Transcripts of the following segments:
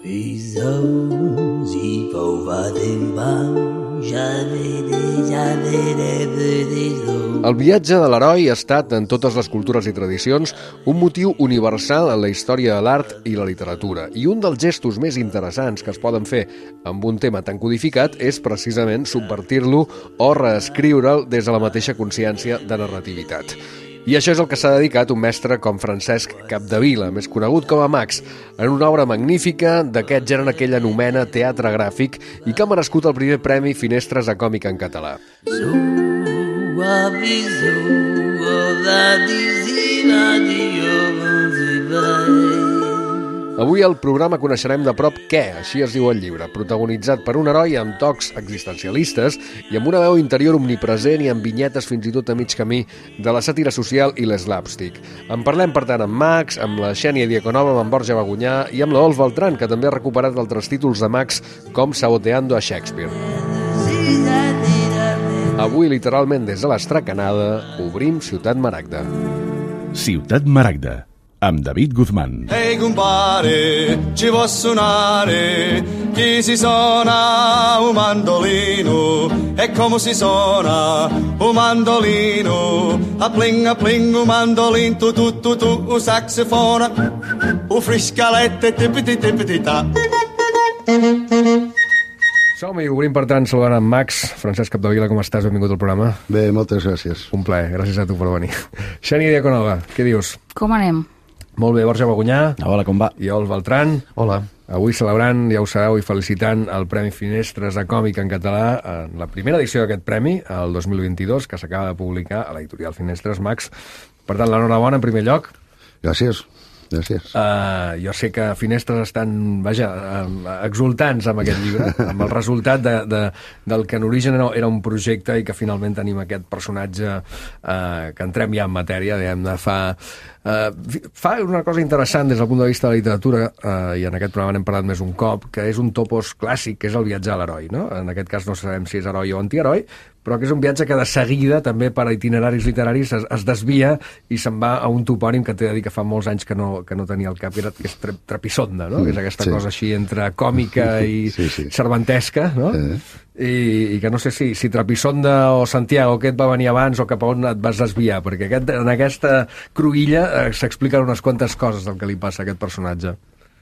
El viatge de l'heroi ha estat, en totes les cultures i tradicions, un motiu universal en la història de l'art i la literatura. I un dels gestos més interessants que es poden fer amb un tema tan codificat és precisament subvertir-lo o reescriure'l des de la mateixa consciència de narrativitat. I això és el que s'ha dedicat un mestre com Francesc Capdevila, més conegut com a Max, en una obra magnífica d'aquest gènere que ell anomena teatre gràfic i que ha merescut el primer premi Finestres a Còmic en català. Avui al programa coneixerem de prop Què, així es diu el llibre, protagonitzat per un heroi amb tocs existencialistes i amb una veu interior omnipresent i amb vinyetes fins i tot a mig camí de la sàtira social i l'slapstick. En parlem, per tant, amb Max, amb la Xènia Diaconova, amb en Borja Bagunyà i amb la Ols Beltrán, que també ha recuperat altres títols de Max com Saboteando a Shakespeare. Avui, literalment des de l'Estracanada, obrim Ciutat Maragda. Ciutat Maragda, amb David Guzmán. Ehi compare, ci può suonare, chi si suona un mandolino, e come si suona un mandolino, a pling un mandolin, tu, un saxofona, un friscalette, tipiti ta. Som-hi, obrim per tant saludant en Max. Francesc Capdevila, com estàs? Benvingut al programa. Bé, moltes gràcies. Un plaer, gràcies a tu per venir. Xènia Diaconova, què dius? Com anem? Molt bé, Borja Bagunyà. Hola, com va? I Ols Beltrán. Hola. Avui celebrant, ja ho sabeu, i felicitant el Premi Finestres a Còmic en català, en la primera edició d'aquest premi, el 2022, que s'acaba de publicar a l'editorial Finestres. Max, per tant, l'enhorabona en primer lloc. Gràcies. Gràcies. Jo sé que Finestres estan, exultants amb aquest llibre, amb el resultat del que en origen era un projecte i que finalment tenim aquest personatge que entrem ja en matèria, diguem-ne, fa una cosa interessant des del punt de vista de la literatura, i en aquest programa n'hem parlat més un cop, que és un topos clàssic, que és el viatge a l'heroi, no? En aquest cas no sabem si és heroi o antiheroi, però que és un viatge que de seguida, també per itineraris literaris, es desvia i se'n va a un topònim que t'he de dir que fa molts anys que no tenia al cap, que és Trapisonda, no? Que és aquesta cosa així entre còmica i cervantesca, no? I que no sé si Trapisonda o Santiago, què et va venir abans o cap a on et vas desviar, perquè en aquesta cruïlla s'expliquen unes quantes coses del que li passa a aquest personatge.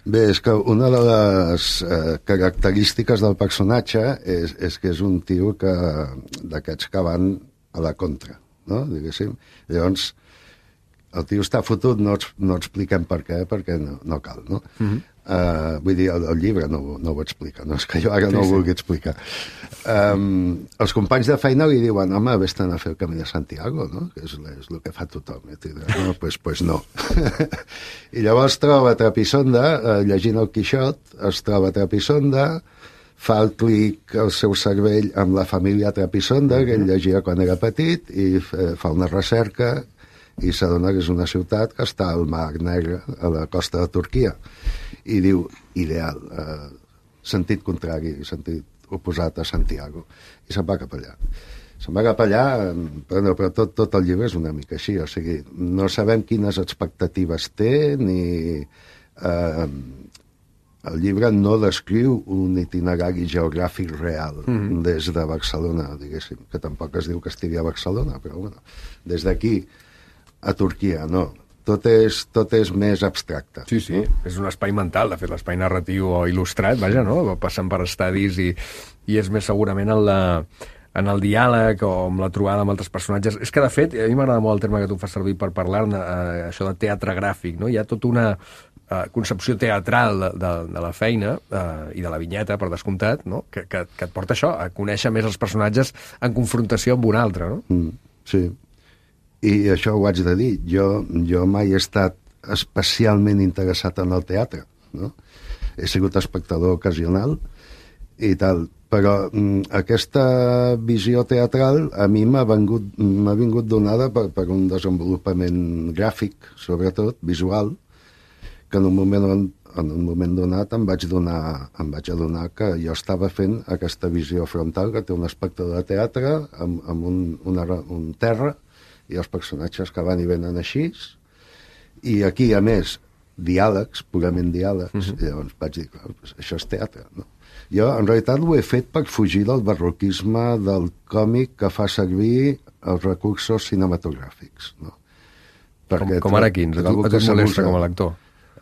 Bé, és que una de les característiques del personatge és que és un tio d'aquests que van a la contra, no? Diguéssim. Llavors, el tio està fotut, no expliquem per què, perquè no cal, no? Vull dir, el llibre no ho explica, no és que jo ara no ho vulgui explicar. Els companys de feina li diuen, home, vés-te'n a fer el Camí de Santiago, no? Que és el que fa tothom. No, pues no. I llavors troba Trapisonda, llegint el Quixot, es troba Trapisonda, fa el clic al seu cervell amb la família Trapisonda, que ell llegia quan era petit, i fa una recerca i s'adona que és una ciutat que està al Mar Negre, a la costa de Turquia. I diu, ideal, sentit contrari, sentit oposat a Santiago. I se'n va cap allà. Però tot el llibre és una mica així, o sigui, no sabem quines expectatives té, ni... El llibre no descriu un itinerari geogràfic real des de Barcelona, diguéssim, que tampoc es diu que estigui a Barcelona, però bueno, des d'aquí a Turquia, no. Tot és més abstracte. Sí, és un espai mental, de fet, l'espai narratiu o il·lustrat, vaja, no? Passen per estadis i és més segurament en el diàleg o amb la trobada amb altres personatges. És que, de fet, a mi m'agrada molt el terme que tu fas servir per parlar-ne, això de teatre gràfic, no? Hi ha tota una concepció teatral de la feina i de la vinyeta, per descomptat, no? Que et porta això, a conèixer més els personatges en confrontació amb un altre, no? Sí. I això ho haig de dir. Jo mai he estat especialment interessat en el teatre, no? He sigut espectador ocasional i tal, però aquesta visió teatral a mi m'ha vingut donada per un desenvolupament gràfic, sobretot, visual, que en un moment donat em vaig adonar que jo estava fent aquesta visió frontal que té un espectador de teatre amb un terra i els personatges que van i venen així. I aquí, a més, diàlegs, purament diàlegs, i llavors vaig dir, clar, pues això és teatre, no? Jo, en realitat, ho he fet per fugir del barroquisme del còmic que fa servir els recursos cinematogràfics, no? Com ara quins? A tu et molesta com a lector?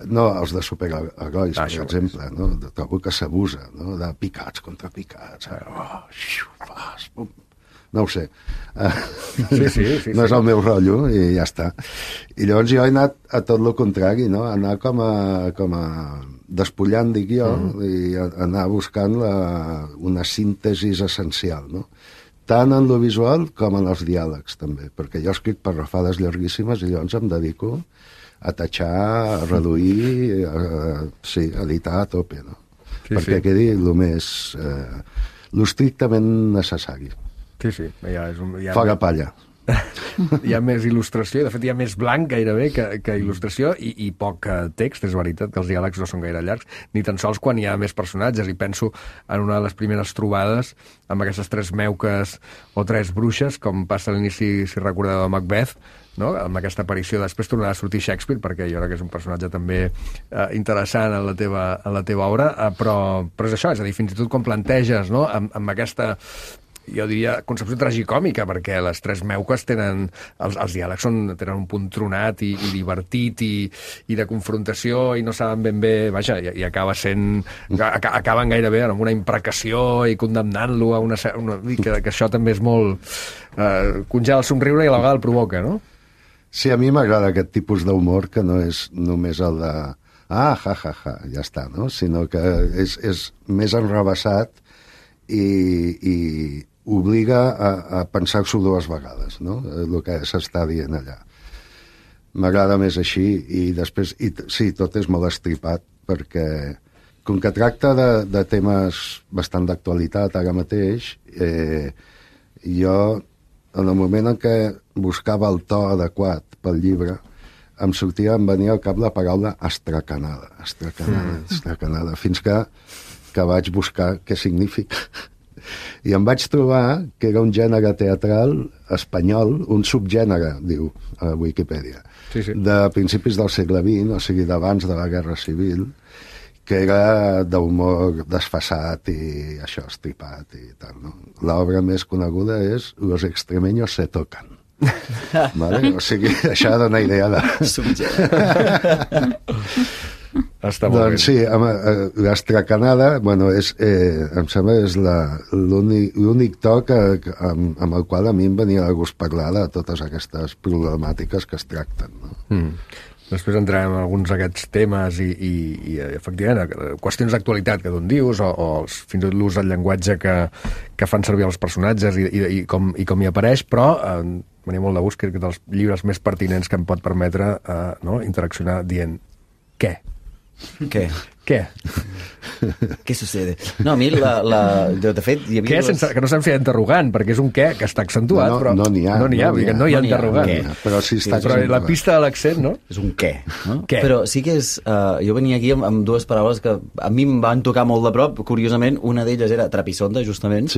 No, els de superherois, per exemple, no? Trobo que s'abusa, no? De picats contra picats. No ho sé. Sí. No és el meu rotllo i ja està. I llavors jo he anat a tot el contrari, no? Anar com a despullant, dic jo, i anar buscant una síntesi essencial, no? Tant en lo visual com en els diàlegs, també, perquè jo escric parrafades llarguíssimes i llavors em dedico a tatxar, a reduir, a editar a tope, no? Perquè quedi lo estrictament necessari. Sí. Fora palla. Hi ha més il·lustració, de fet hi ha més blanc gairebé que il·lustració i poc text, és veritat que els diàlegs no són gaire llargs, ni tan sols quan hi ha més personatges, i penso en una de les primeres trobades amb aquestes 3 meuques o 3 bruixes, com passa a l'inici, si recordeu, de Macbeth, no? Amb aquesta aparició, després tornarà a sortir Shakespeare, perquè jo crec que és un personatge també interessant en la teva obra, però és això, és a dir, fins i tot quan planteges, no? amb aquesta, jo diria, concepció tragicòmica, perquè les 3 meuques tenen, els diàlegs tenen un punt tronat i divertit i de confrontació i no saben ben bé, vaja, i acaben gairebé amb una imprecació i condemnant-lo a una que això també és molt congela el somriure i a la vegada el provoca, no? Sí, a mi m'agrada aquest tipus d'humor que no és només el de ja està, no? Sinó que és més enrevessat i obliga a pensar-s'ho 2 vegades, no? El que s'està dient allà. M'agrada més així i després, sí, tot és molt estripat perquè com que tracta de temes bastant d'actualitat ara mateix, jo en el moment en què buscava el to adequat pel llibre em venia al cap la paraula astracanada, fins que vaig buscar què significa. I em vaig trobar que era un gènere teatral espanyol, un subgènere, diu a Wikipedia, de principis del segle XX, o sigui, d'abans de la Guerra Civil, que era d'humor desfasat i això, estripat i tal, no? L'obra més coneguda és Los extremeños se tocan. Vale? O sigui, això dona idea de... Està molt doncs sí, l'astracanada, bueno, em sembla que és l'únic toc amb el qual a mi em venia de gust parlar de totes aquestes problemàtiques que es tracten, no? Després entrarem en alguns d'aquests temes i efectivament, qüestions d'actualitat que d'on dius, o fins i tot l'ús del llenguatge que fan servir els personatges i com hi apareix, però venia molt de gust, crec que dels llibres més pertinents que em pot permetre interaccionar dient què? Què? Què? Què sucede? No, a mi, de fet... Hi havia que no se'n feia interrogant, perquè és un què que està accentuat, però... No n'hi ha. No n'hi ha interrogant. Però sí està però la pista de l'accent, no? És un què, no? Què? Però sí que és... Jo venia aquí amb 2 paraules que a mi em van tocar molt de prop. Curiosament, una d'elles era trapisonda, justament,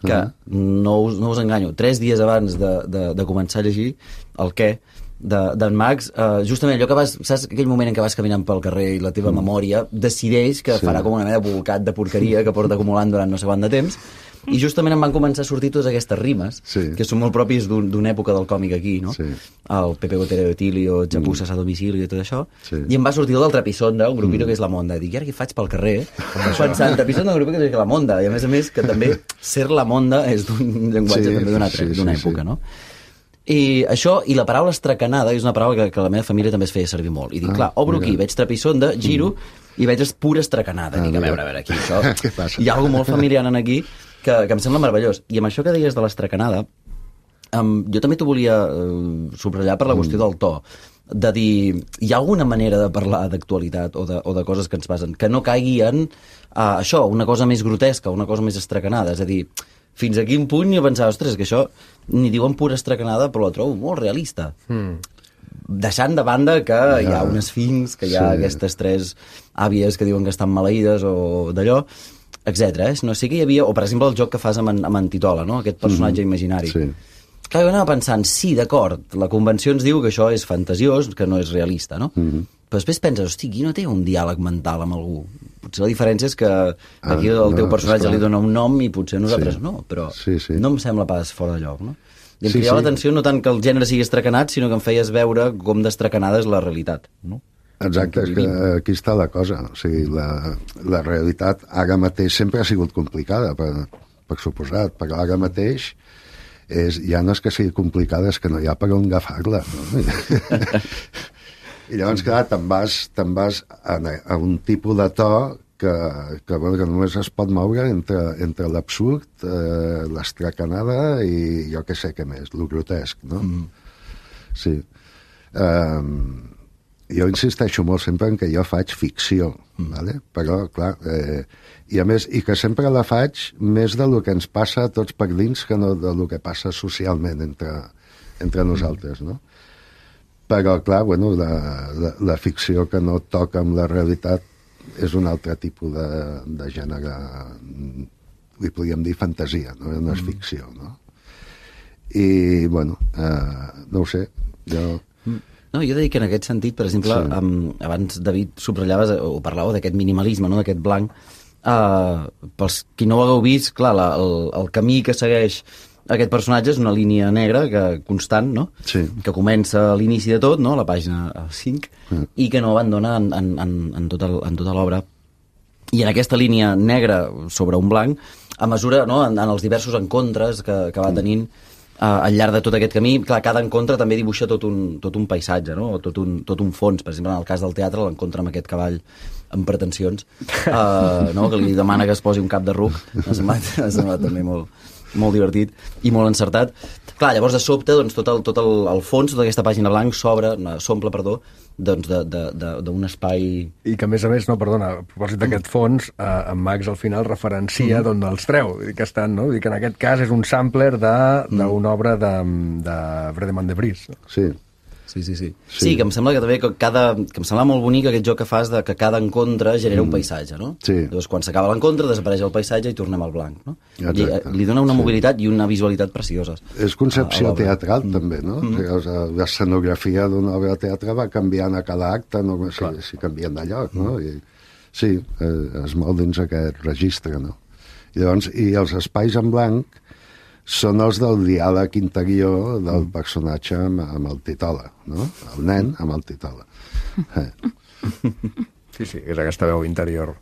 que no us enganyo. 3 dies abans de començar a llegir el què d'en Max, justament allò que saps aquell moment en què vas caminant pel carrer i la teva memòria decideix que farà com una mena de bolcat de porqueria que porta acumulant durant no sé quant de temps, i justament em van començar a sortir totes aquestes rimes que són molt pròpies d'una època del còmic aquí, no? El Pepe Gotera de Tilio, Chapuzas a domicili i tot això, i em va sortir el del Trapisonda, un grupito que és la Monda. Dic, i ara què faig pel carrer? Pensant, Trapisonda, un grupito que és la Monda, i a més que també ser la Monda és d'un llenguatge també d'una època, no? I això, i la paraula estracanada és una paraula que la meva família també es feia servir molt, i dic, clar, obro aquí, veig trapisonda, giro i veig pura estracanada, dic, a veure aquí, això hi ha alguna molt familiar en aquí que em sembla meravellós. I amb això que deies de l'estracanada, jo també t'ho volia subratllar per la qüestió del to, de dir, hi ha alguna manera de parlar d'actualitat o de coses que ens passen que no caigui en això, una cosa més grotesca, una cosa més estracanada, és a dir, fins a quin punt jo pensava, ostres, que això ni diuen pura estracanada, però la trobo molt realista. Deixant de banda que hi ha un esfinx, que hi ha aquestes 3 àvies que diuen que estan maleïdes o d'allò, etc. No sé que hi havia... O, per exemple, el joc que fas amb en Titola, no? Aquest personatge imaginari. Clar, jo anava pensant, sí, d'acord, la convenció ens diu que això és fantasiós, que no és realista, no? Però després penses, hosti, aquí no té un diàleg mental amb algú. Potser la diferència és que aquí el teu personatge li dona un nom i potser nosaltres no, però no em sembla pas fora de lloc, no? I em cridava l'atenció no tant que el gènere sigui estracanat, sinó que em feies veure com d'estracanada és la realitat, no? Exacte, és que aquí està la cosa. O sigui, la realitat ara mateix sempre ha sigut complicada, per suposat, però ara mateix ja no és que sigui complicada, és que no hi ha per on agafar-la, no? I llavors, clar, te'n vas a un tipus de to que només es pot moure entre l'absurd, l'estracanada i jo què sé què més, el grotesc, no? Sí. Jo insisteixo molt sempre en que jo faig ficció, ¿vale? Però, clar, i a més, i que sempre la faig més del que ens passa a tots per dins que no del que passa socialment entre nosaltres, no? Però, clar, bueno, la ficció que no toca amb la realitat és un altre tipus de gènere, li podríem dir fantasia, no és ficció, no? I, bueno, no ho sé, jo... No, jo dic que en aquest sentit, per exemple, abans, David, subratllaves o parlàveu d'aquest minimalisme, no? D'aquest blanc. Pels qui no ho hagueu vist, clar, el camí que segueix aquest personatge és una línia negra constant, no? Sí. Que comença a l'inici de tot, no? A la pàgina 5, i que no abandona en tota l'obra. I en aquesta línia negra sobre un blanc, a mesura, no? en els diversos encontres que va tenint al llarg de tot aquest camí, clar, cada encontre també dibuixa tot un paisatge, no? O tot un fons. Per exemple, en el cas del teatre, l'encontre amb aquest cavall amb pretensions, no? Que li demana que es posi un cap de ruc. M'ha semblat també molt divertit i molt encertat. Clar, llavors de sobte doncs, tot el fons, tota aquesta pàgina blanc s'omple d'un espai... I que a més, no, perdona, a propòsit d'aquest fons, en Max al final referencia d'on els treu, que estan, no? Que en aquest cas és un sampler d'una obra de Fredemont de Vries. Sí. Sí, que em sembla que també que em sembla molt bonic aquest joc que fas de que cada encontre genera un paisatge, no? Sí. Llavors, quan s'acaba l'encontre, desapareix el paisatge i tornem al blanc, no? Exacte. Li dona una mobilitat i una visualitat precioses. És concepció teatral, també, no? L'escenografia d'una obra de teatre va canviant a cada acte, no? Si canvien de lloc, no? Sí, es mou dins aquest registre, no? Llavors, i els espais en blanc són els del diàleg interior del personatge amb el Titola, no? El nen amb el Titola. Sí, és aquesta veu interior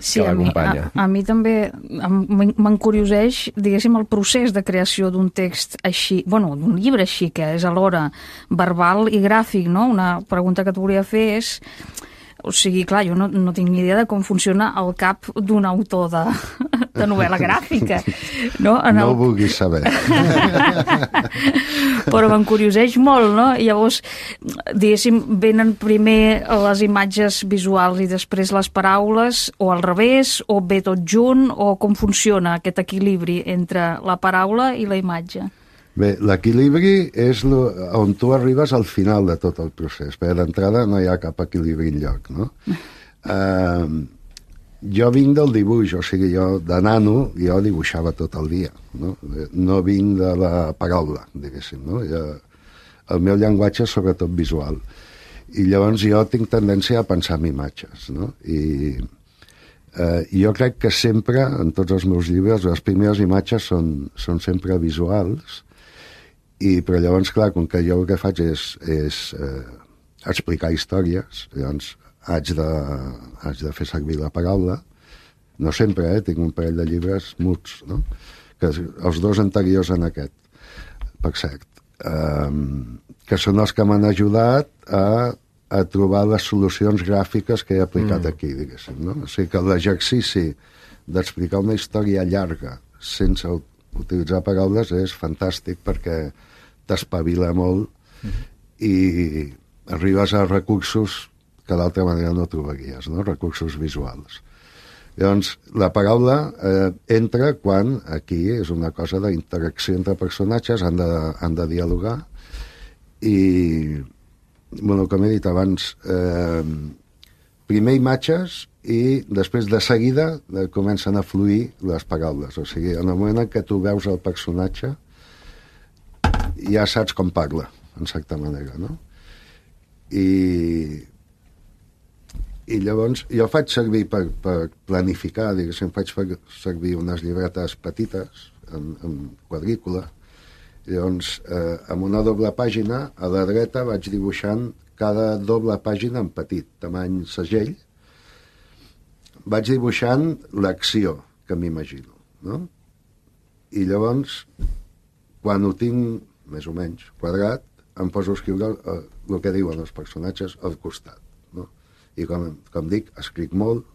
que l'acompanya. A mi també m'encurioseix, diguéssim, el procés de creació d'un text així, bueno, d'un llibre així, que és alhora verbal i gràfic, no? Una pregunta que et volia fer és... O sigui, clar, jo no tinc ni idea de com funciona el cap d'un autor de novel·la gràfica. No ho vulguis saber. Però m'encurioseix molt, no? I llavors, diguéssim, venen primer les imatges visuals i després les paraules, o al revés, o ve tot junt, o com funciona aquest equilibri entre la paraula i la imatge? Bé, l'equilibri és on tu arribes al final de tot el procés, perquè d'entrada no hi ha cap equilibri enlloc, no? Jo vinc del dibuix, o sigui, jo de nano jo dibuixava tot el dia, no? No vinc de la paraula, diguéssim, no? El meu llenguatge és sobretot visual. I llavors jo tinc tendència a pensar en imatges, no? I jo crec que sempre, en tots els meus llibres, les primeres imatges són sempre visuals. Però llavors, clar, com que jo el que faig és explicar històries, llavors haig de fer servir la paraula. No sempre, tinc un parell de llibres muts, no? Que els dos anteriors en aquest, per cert, que són els que m'han ajudat a trobar les solucions gràfiques que he aplicat aquí, diguéssim, no? O sigui que l'exercici d'explicar una història llarga sense utilitzar paraules és fantàstic perquè t'espavila molt i arribes a recursos que d'altra manera no trobaries, no? Recursos visuals. Llavors, la paraula entra quan aquí és una cosa d'interacció entre personatges, han de dialogar i, bueno, com he dit abans, primer imatges i després de seguida comencen a fluir les paraules. O sigui, en el moment en què tu veus el personatge ja saps com parla, en certa manera, no? I I llavors jo faig servir per planificar, diguéssim, faig servir unes llibretes petites en quadrícula. Llavors, amb una doble pàgina, a la dreta vaig dibuixant cada doble pàgina en petit, tamany segell. Vaig dibuixant l'acció que m'imagino, no? I llavors, quan ho tinc més o menys quadrat, em poso a escriure el que diuen els personatges al costat, no? I com dic, escric molt,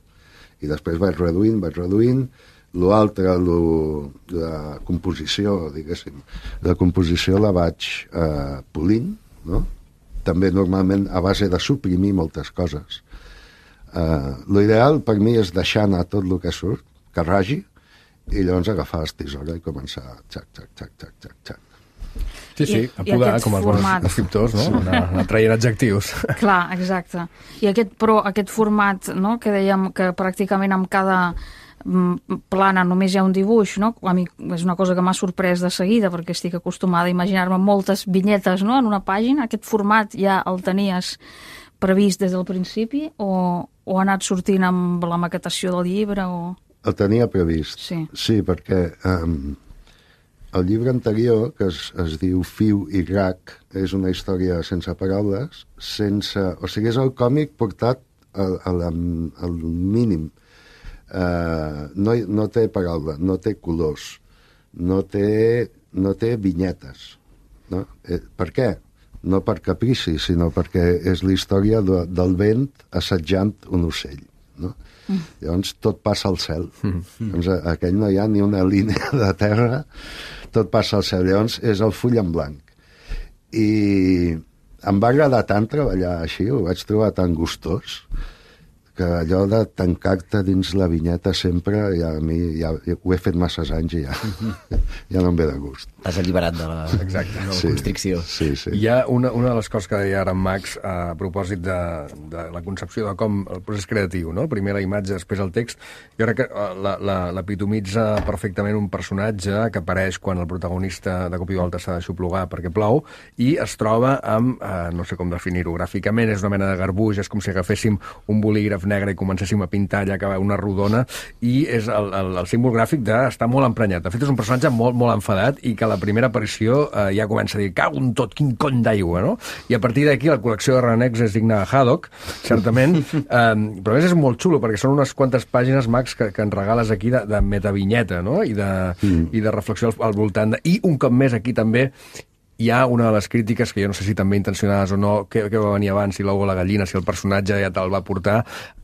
i després vaig reduint. L'altre, la composició, diguéssim, la composició la vaig polint, no? També normalment a base de suprimir moltes coses. L'ideal per mi és deixar anar tot el que surt, que ragi, i llavors agafar el tisora i començar xac. Sí, a podar, com els bons escriptors, no? Anar traient adjectius. Clar, exacte. I aquest format, no?, que dèiem que pràcticament amb cada plana només hi ha un dibuix, no? A mi és una cosa que m'ha sorprès de seguida, perquè estic acostumada a imaginar-me moltes vinyetes, no?, en una pàgina. Aquest format ja el tenies previst des del principi o ha anat sortint amb la maquetació del llibre? El tenia previst, sí, perquè el llibre anterior, que es diu Fiu i Rac, és una història sense paraules, o sigui, és el còmic portat al mínim. No té paraula, no té colors, no té vinyetes. No? Per què? No per caprici, sinó perquè és la història del vent assetjant un ocell. No? Llavors tot passa al cel. Doncs aquell no hi ha ni una línia de terra, tot passa al cel. Llavors és el full en blanc. I em va agradar tant treballar així, ho vaig trobar tan gustós, que allò de tancar-te dins la vinyeta sempre, ja a mi ho he fet masses anys i ja no em ve de gust. T'has alliberat de la constricció. Sí. Hi ha una de les coses que deia ara en Max a propòsit de la concepció de com el procés creatiu, no? Primer la imatge, després el text. Jo crec que l'epitomitza perfectament un personatge que apareix quan el protagonista de cop i volta s'ha d'aixoplugar perquè plou i es troba amb, no sé com definir-ho gràficament, és una mena de garbuix, és com si agaféssim un bolígraf negre i comencéssim a pintar allà que va una rodona, i és el símbol gràfic d'estar molt emprenyat. De fet, és un personatge molt, molt enfadat i que a la primera aparició ja comença a dir cago en tot, quin cony d'aigua, no? I a partir d'aquí la col·lecció de renecs és digna de Haddock, certament, però a més és molt xulo perquè són unes quantes pàgines, Max, que ens regales aquí de metavinyeta, no? I de reflexió al voltant i un cop més aquí també hi ha una de les crítiques, que jo no sé si també intencionades o no, que va venir abans, si l'ou o la gallina, si el personatge ja te'l va portar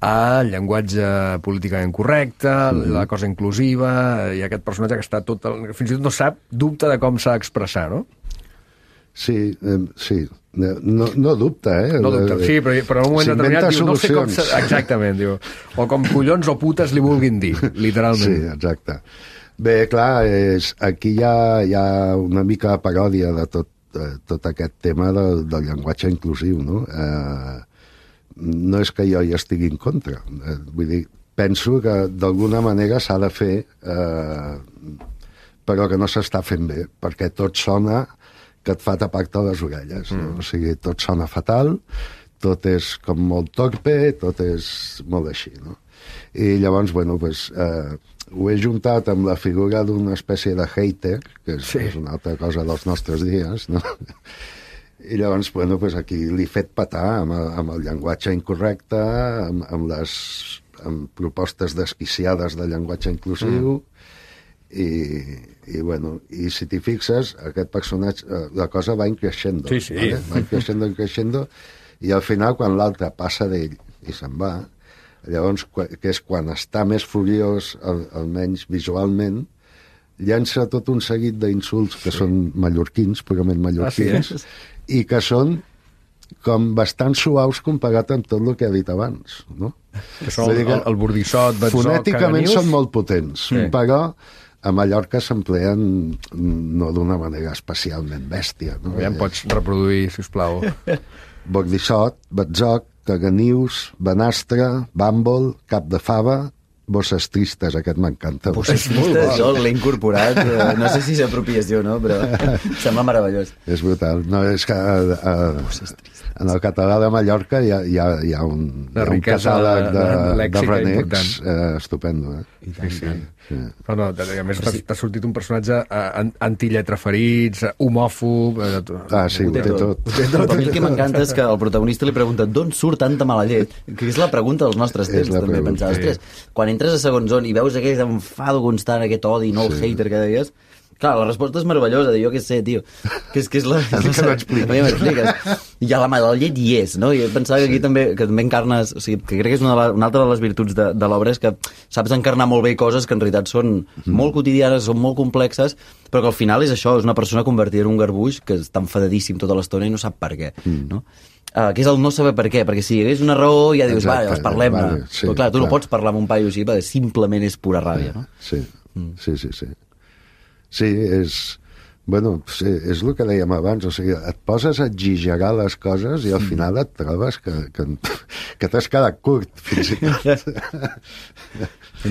al llenguatge políticament correcte, la cosa inclusiva, i aquest personatge que està tot... fins i tot no sap, dubta de com s'ha d'expressar, no? Sí. No dubta, No dubta, sí, però en un moment determinat diu, no sé com... Exactament, diu. O com collons o putes li vulguin dir, literalment. Sí, exacte. Bé, clar, aquí hi ha una mica de paròdia de tot aquest tema del llenguatge inclusiu, no? No és que jo hi estigui en contra. Vull dir, penso que d'alguna manera s'ha de fer, però que no s'està fent bé, perquè tot sona que et fa tapar-te les orelles. No? O sigui, tot sona fatal, tot és com molt torpe, tot és molt així, no? I llavors, bueno, doncs... ho he juntat amb la figura d'una espècie de hater, que és una altra cosa dels nostres dies, no? I llavors, bueno, pues aquí l'he fet petar amb el llenguatge incorrecte, amb propostes desquiciades de llenguatge inclusiu, i bueno, i si t'hi fixes, aquest personatge, la cosa va increixendo. Sí. ¿vale? Va increixendo, i al final, quan l'altre passa d'ell i se'n va, llavors, que és quan està més furiós, almenys visualment, llança tot un seguit d'insults que són mallorquins, purament mallorquins, i que són com bastant suaus comparat amb tot el que he dit abans, no? Que són el bordissot, betzó, fonèticament són molt potents, però a Mallorca s'empleen no d'una manera especialment bèstia. No? Ja em pots reproduir, sisplau. Bordissot, betzoc, caganius, banastre, bàmbol, cap de fava, bosses tristes, aquest m'encanta. Bosses tristes, jo l'he incorporat, no sé si és apropiació, no? Però sembla meravellós. És brutal. No, és que en el català de Mallorca hi ha un catàleg de renecs estupendo. Sí. Però no, a més t'ha sortit un personatge anti-lletraferits, homòfob... Sí, ho té tot. Però a mi el que m'encanta és que el protagonista li pregunta d'on surt tanta mala llet, que és la pregunta dels nostres temps, també, pensar, ostres, quan entres a segons on i veus aquest enfado constant, aquest odi, no el hater que deies, clar, la resposta és meravellosa, jo què sé, tio, que és la... que no expliques. Ja la mala llet hi és, no? I pensava que aquí també encarnes, o sigui, que crec que és una altra de les virtuts de l'obra, és que saps encarnar molt bé coses que en realitat són molt quotidianes, són molt complexes, però que al final és això, és una persona convertida en un garbuix que està enfadadíssim tota l'estona i no sap per què, no? Que és el no saber per què, perquè si hi hagués una raó ja dius, va, doncs parlem-ne. Però clar, tu no pots parlar amb un paio així, perquè simplement és pura ràbia, no? Sí. Sí, és... Bueno, sí, és el que dèiem abans, o sigui, et poses a exagerar les coses i al final et trobes que t'has quedat curt, fins i tot.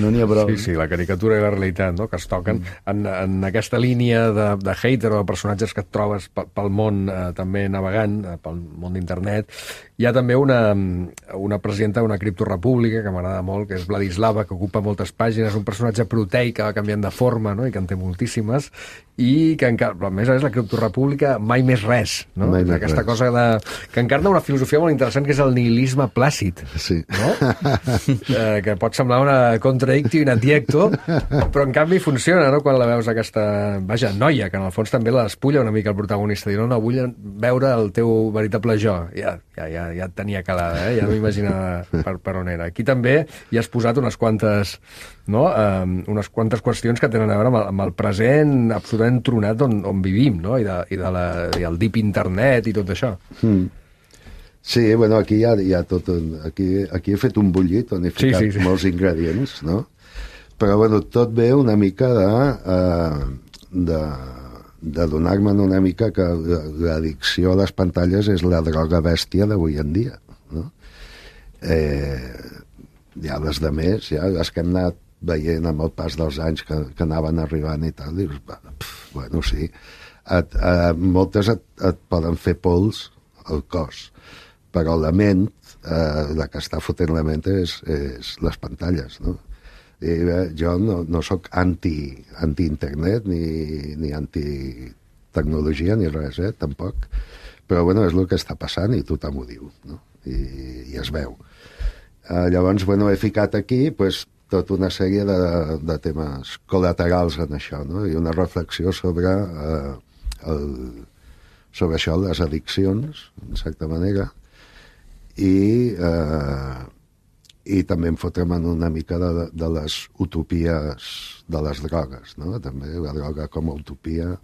No n'hi ha prou. Sí, la caricatura i la realitat, no?, que es toquen en aquesta línia de hater o de personatges que et trobes pel món també navegant, pel món d'internet. Hi ha també una presidenta d'una criptorepública que m'agrada molt, que és Vladislava, que ocupa moltes pàgines, un personatge proteic que va canviant de forma, no?, i que en té moltíssimes, i que a més és la criptorepública mai més res, no? Aquesta cosa que encarna una filosofia molt interessant, que és el nihilisme plàcid, no? Que pot semblar una contradictio in adjecto, però en canvi funciona, no?, quan la veus aquesta, noia, que en el fons també la despulla una mica el protagonista, dir, no, vull veure el teu veritable jo. Ja et tenia calada, ja m'imaginava per on era. Aquí també hi has posat unes quantes qüestions que tenen a veure amb el present absolutament tronat on vivim, no?, i el deep internet i tot això. Sí, bueno, aquí hi ha tot... Aquí he fet un bullit on he ficat molts ingredients, no? Però, bueno, tot ve una mica de donar-me una mica que l'addicció a les pantalles és la droga bèstia d'avui en dia, no? Ja les de més, ja les que hem anat veient amb el pas dels anys que anaven arribant i tal, dius, bueno, sí, moltes et poden fer pols al cos, però la ment, la que està fotent la ment és les pantalles, no? I bé, jo no soc anti-internet ni anti-tecnologia ni res, tampoc, però bueno, és el que està passant i tothom ho diu, no? I es veu. Llavors, bueno, he ficat aquí pues, tota una sèrie de temes col·laterals en això, no? I una reflexió sobre això, les addiccions, en certa manera, i també em fotrem en una mica de les utopies de les drogues, no? També la droga com a utopia,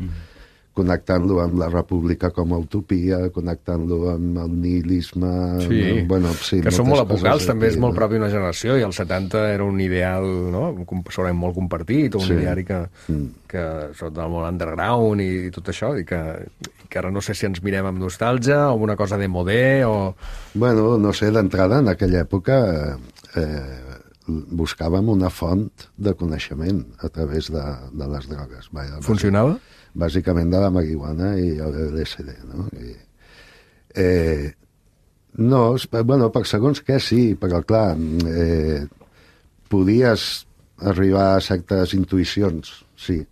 connectant-lo amb la república com a utopia, connectant-lo amb el nihilisme... Sí, no? Bueno, sí, que són molt epocals, també és molt propi d'una generació, i als 70 era un ideal, no?, segurament molt compartit, un ideari que sota del món underground i tot això, i que ara no sé si ens mirem amb nostàlgia o amb una cosa de modé o... Bueno, no sé, d'entrada, en aquella època buscàvem una font de coneixement a través de les drogues. Funcionava? Bàsicament de la marihuana i l'LSD, no? No, bueno, per segons què sí, però clar, podies arribar a certes intuïcions, sí.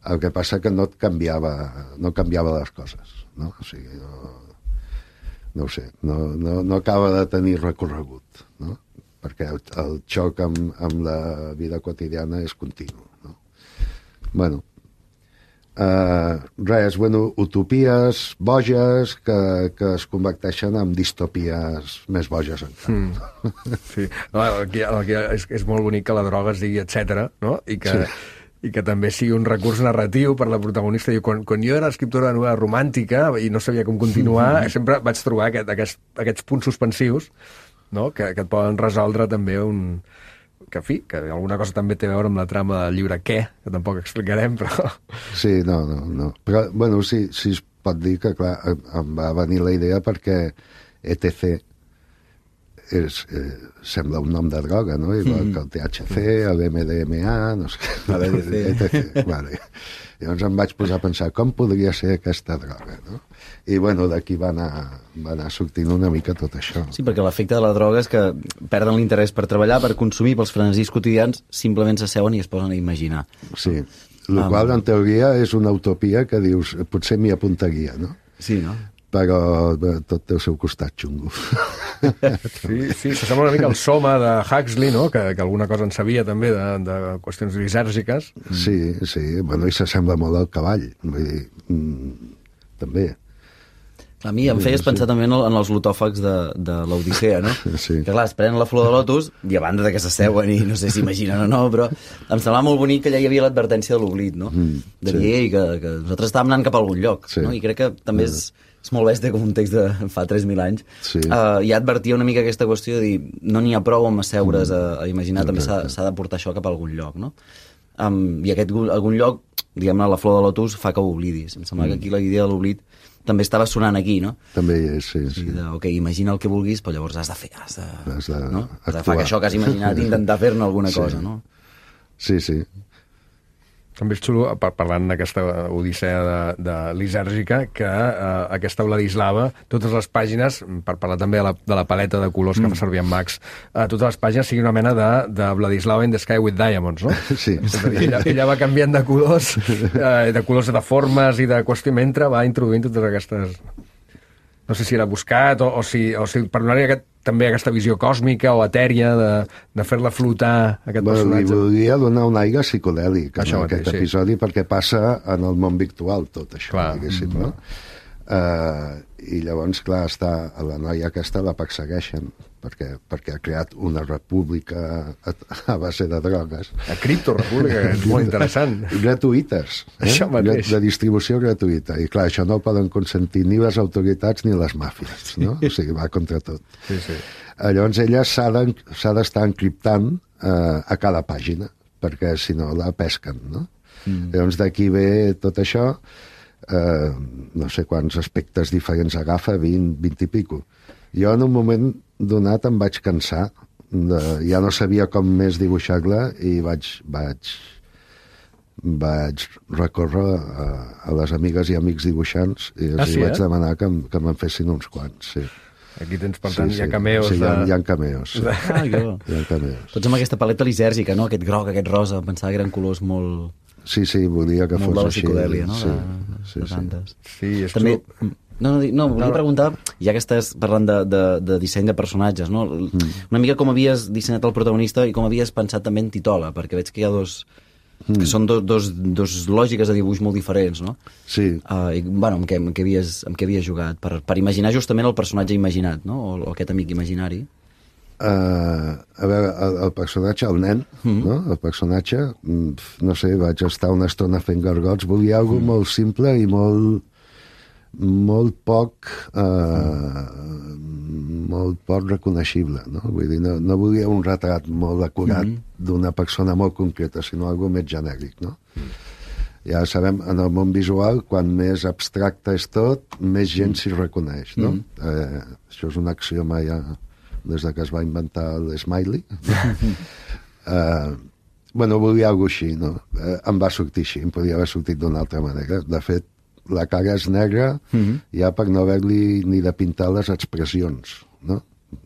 El que passa que no canviava les coses, no? O sigui, no ho sé, no acaba de tenir recorregut, no? Perquè el xoc amb la vida quotidiana és continu, no? Bueno, utopies boges que es converteixen en distopies més boges encara. Sí, és molt bonic que la droga es digui etcètera, no? I que també sigui un recurs narratiu per la protagonista. Quan jo era escriptora de novel·la romàntica i no sabia com continuar, sempre vaig trobar aquests punts suspensius, no?, que et poden resoldre també que alguna cosa també té a veure amb la trama del llibre Què, que tampoc explicarem, però... Sí, no. Però, bueno, sí es pot dir que, clar, em va venir la idea perquè ETC sembla un nom de droga, no? Igual que el THC, el MDMA, no sé què. etc. Vale. Llavors em vaig posar a pensar com podria ser aquesta droga, no? I, bueno, d'aquí va anar sortint una mica tot això. Sí, perquè l'efecte de la droga és que perden l'interès per treballar, per consumir, pels frenesís quotidians, simplement s'asseuen i es posen a imaginar. Sí, el qual, en teoria, és una utopia que dius, potser m'hi apuntaria, no? Sí, no? Però tot té el seu costat xungo. Sí, s'assembla una mica al Soma de Huxley, no? Que alguna cosa en sabia també de qüestions lisèrgiques. Sí, bueno, i s'assembla molt al cavall, vull dir, també. A mi em feies pensar també en els lotòfags de l'Odissea, no? Sí. Que clar, es prenen la flor de lotus i a banda de que s'asseuen i no sé si imaginen o no, però em semblava molt bonic que allà hi havia l'advertència de l'oblit, no? De dir que nosaltres estàvem anant cap a algun lloc, no? I crec que també és molt bèstia com un text de fa 3.000 anys. Sí. Ja advertia una mica aquesta qüestió de dir no n'hi ha prou amb asseure's a imaginar, també s'ha de portar això cap a algun lloc, no? I aquest algun lloc, diguem-ne, la flor de lotus fa que ho oblidis. Em sembla que aquí la idea de l'oblit també estava sonant aquí, no? També hi és, sí. Ok, imagina el que vulguis, però llavors has de fer, has de no? Has de fer això que has imaginat i intentar fer-ne alguna cosa, no? Sí. També és xulo, parlant d'aquesta odissea de lisèrgica, que aquesta Vladislava, totes les pàgines, per parlar també de la paleta de colors que fa servir en Max, totes les pàgines siguin una mena de Vladislava in the Sky with Diamonds, no? Sí. Ella va canviant de colors, de formes i de qüestió, mentre va introduint totes aquestes... No sé si era buscat o si per donar-hi també aquesta visió còsmica o etèria de fer-la flotar, aquest personatge. Li volia donar un aire psicodèlic en aquest episodi, sí. Perquè passa en el món virtual tot això, diguéssim, no? I llavors, clar, la noia aquesta la persegueixen perquè ha creat una república a base de drogues. La criptorepública, que és molt interessant. Gratuïtes, Això mateix. De distribució gratuïta. I clar, això no ho poden consentir ni les autoritats ni les màfies, no? O sigui, va contra tot. Sí. Llavors ella s'ha d'estar encriptant a cada pàgina, perquè si no la pesquen, no? Llavors d'aquí ve tot això, no sé quants aspectes diferents agafa, 20 i pico. Jo en un moment donat em vaig cansar, ja no sabia com més dibuixar-la i vaig recórrer a les amigues i amics dibuixants i els vaig demanar que me'n fessin uns quants, sí. Aquí tens, per tant, hi ha cameos. Sí, hi ha cameos. Hi ha cameos. Tots amb aquesta paleta lisèrgica, no? Aquest groc, aquest rosa, pensava que eren colors molt... Sí, volia que fos així. Molt de la psicodèlia, no? Sí, és també... No, volia preguntar, ja que estàs parlant de disseny de personatges, no? Una mica com havies dissenyat el protagonista i com havies pensat també en Titola, perquè veig que hi ha que són dos lògiques de dibuix molt diferents, no? Sí. I, bueno, amb què havies jugat? Per imaginar justament el personatge imaginat, no? O aquest amic imaginari. A veure, el personatge, el nen, no? El personatge, no sé, vaig estar una estona fent gargots, volia alguna molt simple i molt poc reconeixible, no? Vull dir, no volia un retrat molt acurat d'una persona molt concreta, sinó algo més genèric, no? Ja sabem, en el món visual, quan més abstracte és tot, més gent s'hi reconeix, no? Això és un axioma ja des que es va inventar l'Smiley. Bueno, volia alguna cosa així, no? Em va sortir així, em podia haver sortit d'una altra manera. De fet, la cara és negra ja per no haver-li ni de pintar les expressions, no?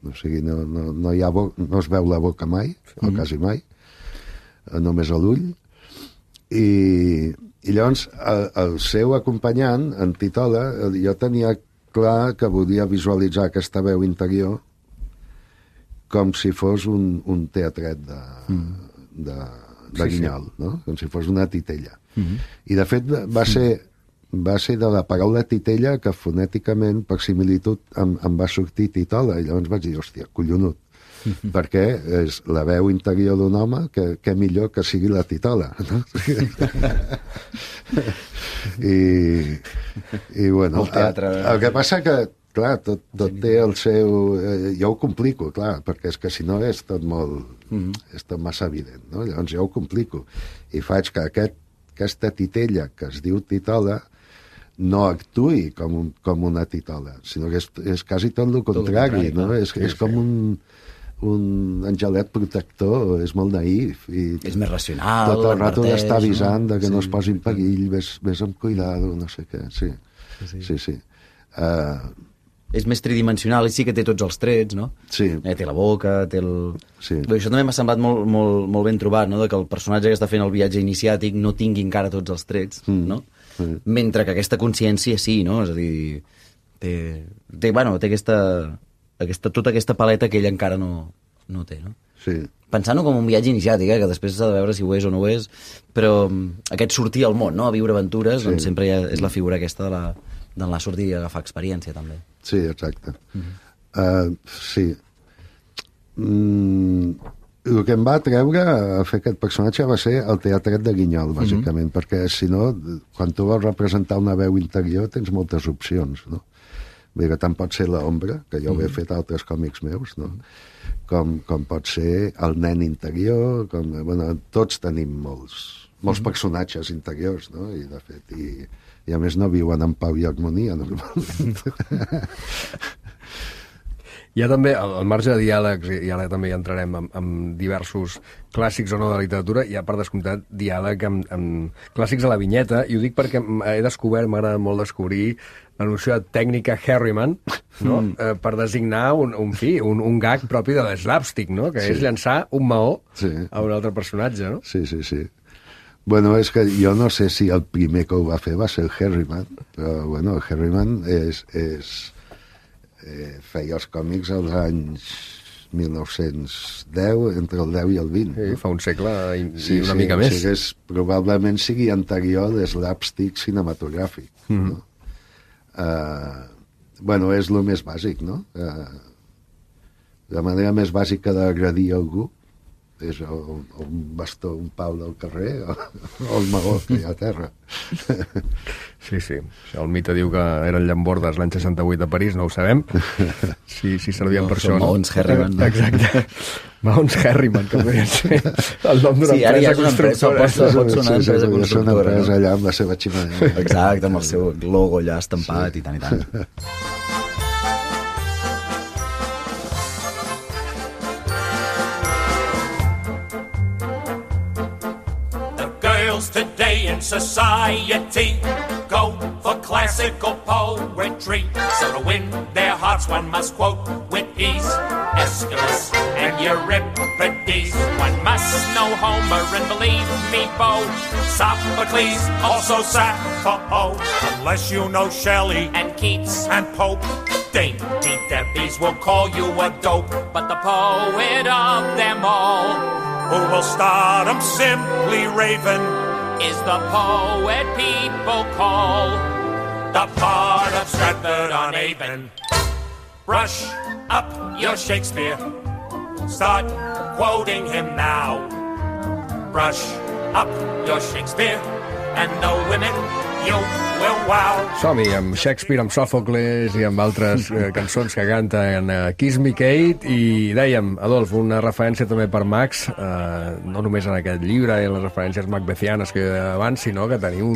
O sigui, no es veu la boca mai, o quasi mai, només l'ull. I llavors, el seu acompanyant, en Titola, jo tenia clar que volia visualitzar aquesta veu interior com si fos un teatret de Guinyol, no? Com si fos una titella. I, de fet, va ser de la paraula titella que fonèticament, per similitud, em va sortir Titola, i llavors vaig dir, hòstia, collonut, perquè és la veu interior d'un home que millor que sigui la Titola, no? I bueno, el que passa que, clar, tot té el seu... Jo ho complico, clar, perquè és que si no és tot molt... és tot massa evident, no? Llavors jo ho complico. I faig que aquesta titella que es diu Titola no actuï com una titola, sinó que és quasi tot el contrari, no? És com un angelet protector, és molt naïf. És més racional. Tot el rato d'estar avisant que no es posi en perill, ves amb cuidado, no sé què. Sí. És més tridimensional i sí que té tots els trets, no? Sí. Té la boca, té el... Sí. Bé, això també m'ha semblat molt ben trobat, no? De que el personatge que està fent el viatge iniciàtic no tingui encara tots els trets, no? Mentre que aquesta consciència sí, no? És a dir, té tota aquesta paleta que ell encara no té, no? Sí. Pensant-ho com un viatge iniciàtic, que després s'ha de veure si ho és o no ho és, però aquest sortir al món, no? A viure aventures, doncs sempre és la figura aquesta d'anar a sortir i agafar experiència, també. Sí, exacte. Sí. El que em va atreure a fer aquest personatge va ser el teatret de Guinyol, bàsicament, perquè si no, quan tu vols representar una veu interior tens moltes opcions, no? Bé, que tant pot ser l'ombra, que jo ho he fet a altres còmics meus, no? Com pot ser el nen interior, tots tenim molts personatges interiors, no? I, de fet, i a més no viuen en pau i harmonia, normalment. Hi ha també, al marge de diàlegs, i ara també hi entrarem amb diversos clàssics o no de la literatura, hi ha per descomptat diàleg amb clàssics a la vinyeta, i ho dic perquè he descobert, m'agrada molt descobrir la noció de tècnica Harriman, no? Per designar un gag propi de l'slapstick, no? Que és llançar un maó a un altre personatge, no? Sí. Bueno, és que jo no sé si el primer que ho va fer va ser el Harriman, però bueno, el Harriman feia els còmics als anys 1910, entre el 10 i el 20. Sí, fa un segle i una mica més. Sí, probablement sigui anterior a l'slapstick cinematogràfic. No? Bueno, és el més bàsic, no? La manera més bàsica d'agredir algú és un bastó, un pal del carrer o el maó que hi ha a terra. Sí. El mite diu que eren llambordes l'any 68 a París, no ho sabem. Si servien per això. Maons Harriman. Exacte. Maons Harriman, que podria ser el nom d'una empresa constructora. Pot sonar empresa constructora. És una empresa allà amb la seva xemeneia. Exacte, amb el seu logo allà estampat i tant i tant. Today in society go for classical poetry, so to win their hearts one must quote with ease Aeschylus and Euripides. One must know Homer and believe me, Bo, Sophocles, also Sappho, unless you know Shelley and Keats and Pope. Dainty Debbies will call you a dope, but the poet of them all, who will start 'em simply raving, is the poet people call the Bard of Stratford-on-Avon. Brush up your Shakespeare, start quoting him now. Brush up your Shakespeare, and the women you will wow. Som-hi amb Shakespeare, amb Sòfocles i amb altres cançons que canten Kiss Me Kate, i dèiem, Adolf, una referència també per Max, no només en aquest llibre i en les referències macbethianes que abans, sinó que teniu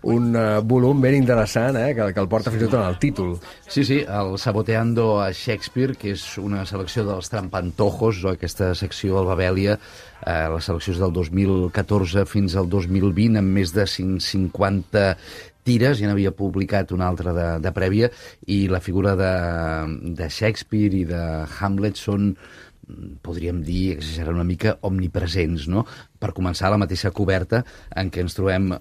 un volum ben interessant, que el porta fins i tot en el títol. Sí, el Saboteando a Shakespeare, que és una selecció dels Trampantojos, o aquesta secció al Babelia, les seleccions del 2014 fins al 2020, amb més de 150 tires, ja n'havia publicat una altra de prèvia, i la figura de Shakespeare i de Hamlet són, podríem dir, exagerar una mica, omnipresents, no? Per començar, la mateixa coberta en què ens trobem,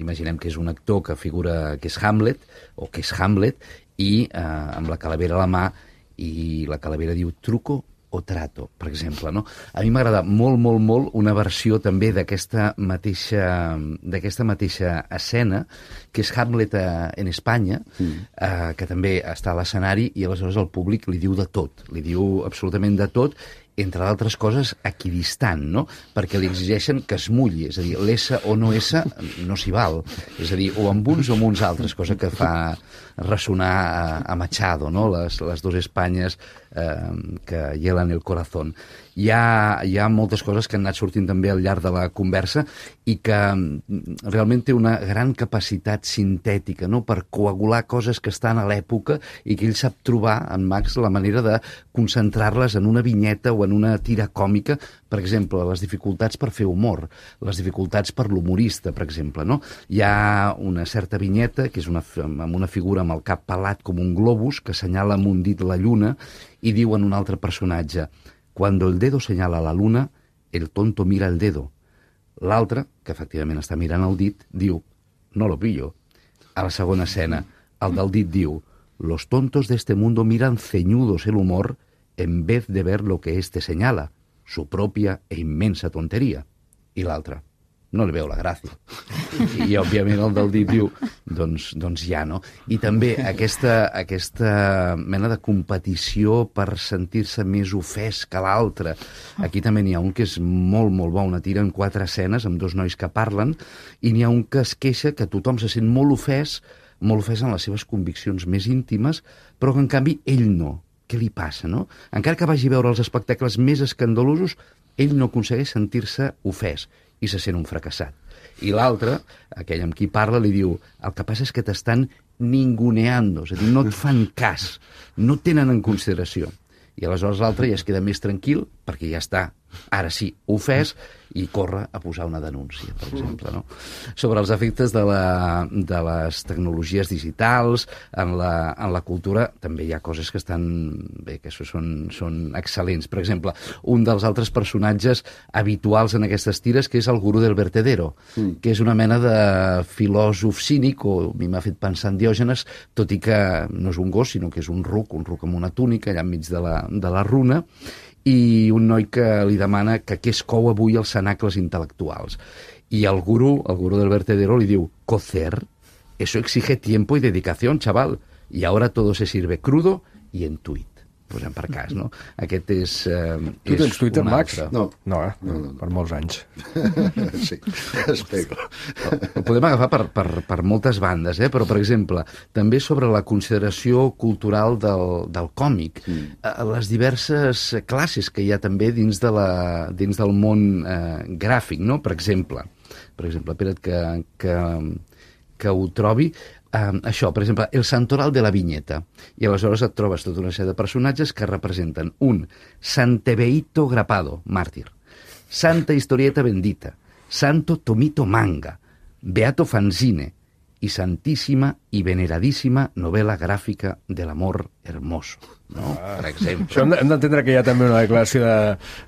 imaginem que és un actor que figura que és Hamlet, o que és Hamlet, i amb la calavera a la mà, i la calavera diu truco o trato, per exemple, no? A mi m'agrada molt una versió també d'aquesta mateixa escena, que és Hamlet en Espanya, que també està a l'escenari, i aleshores el públic li diu de tot, li diu absolutament de tot, entre d'altres coses, equidistant, no? Perquè li exigeixen que es mulli, és a dir, l'S o no S no s'hi val. És a dir, o amb uns o amb uns altres, cosa que fa ressonar a Machado, no? Les dos Espanyes que hielan el corazón. Hi ha moltes coses que han anat sortint també al llarg de la conversa i que realment té una gran capacitat sintètica, no?, per coagular coses que estan a l'època i que ell sap trobar, en Max, la manera de concentrar-les en una vinyeta o en una tira còmica. Per exemple, les dificultats per fer humor, les dificultats per l'humorista, per exemple, no? Hi ha una certa vinyeta que és amb una figura amb el cap pelat com un globus que assenyala amb un dit la lluna i diu en un altre personatge: «Cuando el dedo señala la luna, el tonto mira el dedo». L'altre, que efectivament està mirant el dit, diu: «No lo pillo». A la segona escena, el del dit diu: «Los tontos de este mundo miran ceñudos el humor en vez de ver lo que éste señala, su propia e inmensa tontería». I l'altre: «No li veu la gràcia». I òbviament el del dit diu: doncs ja, no? I també aquesta mena de competició per sentir-se més ofès que l'altre. Aquí també n'hi ha un que és molt, molt bo, una tira en 4 escenes amb 2 nois que parlen, i n'hi ha un que es queixa que tothom se sent molt ofès en les seves conviccions més íntimes, però que en canvi ell no. Què li passa, no? Encara que vagi a veure els espectacles més escandalosos, ell no aconsegueix sentir-se ofès i se sent un fracassat. I l'altre, aquell amb qui parla, li diu: el que passa és que t'estan ninguneando, és a dir, no et fan cas, no et tenen en consideració. I aleshores l'altre ja es queda més tranquil, perquè ja està, ara sí, ofès, i corre a posar una denúncia, per exemple, no? Sobre els efectes de les tecnologies digitals, en la cultura, també hi ha coses que estan bé, que són excel·lents. Per exemple, un dels altres personatges habituals en aquestes tires, que és el gurú del vertedero, que és una mena de filòsof cínic, o a mi m'ha fet pensar en Diògenes, tot i que no és un gos, sinó que és un ruc amb una túnica allà enmig de la runa, i un noi que li demana que què es cou avui als cenacles intel·lectuals. I el gurú del vertedero li diu: «Cocer, eso exige tiempo y dedicación, chaval, y ahora todo se sirve crudo y en tuit». Posem per cas, no? Aquest és tu tens Twitter, Max? No, per molts anys. Sí, espero. Ho podem agafar per moltes bandes, però, per exemple, també sobre la consideració cultural del còmic, les diverses classes que hi ha també dins del món gràfic, no? Per exemple, espera't que ho trobi. Això, per exemple, el santoral de la vinyeta. I aleshores et trobes tota una sèrie de personatges que representen un Santebeito Grapado, màrtir, Santa Historieta Bendita, Santo Tomito Manga, Beato Fanzine i Santíssima i Veneradíssima Novela Gràfica de l'Amor Hermoso, no? Per exemple. Això hem d'entendre que hi ha també una declaració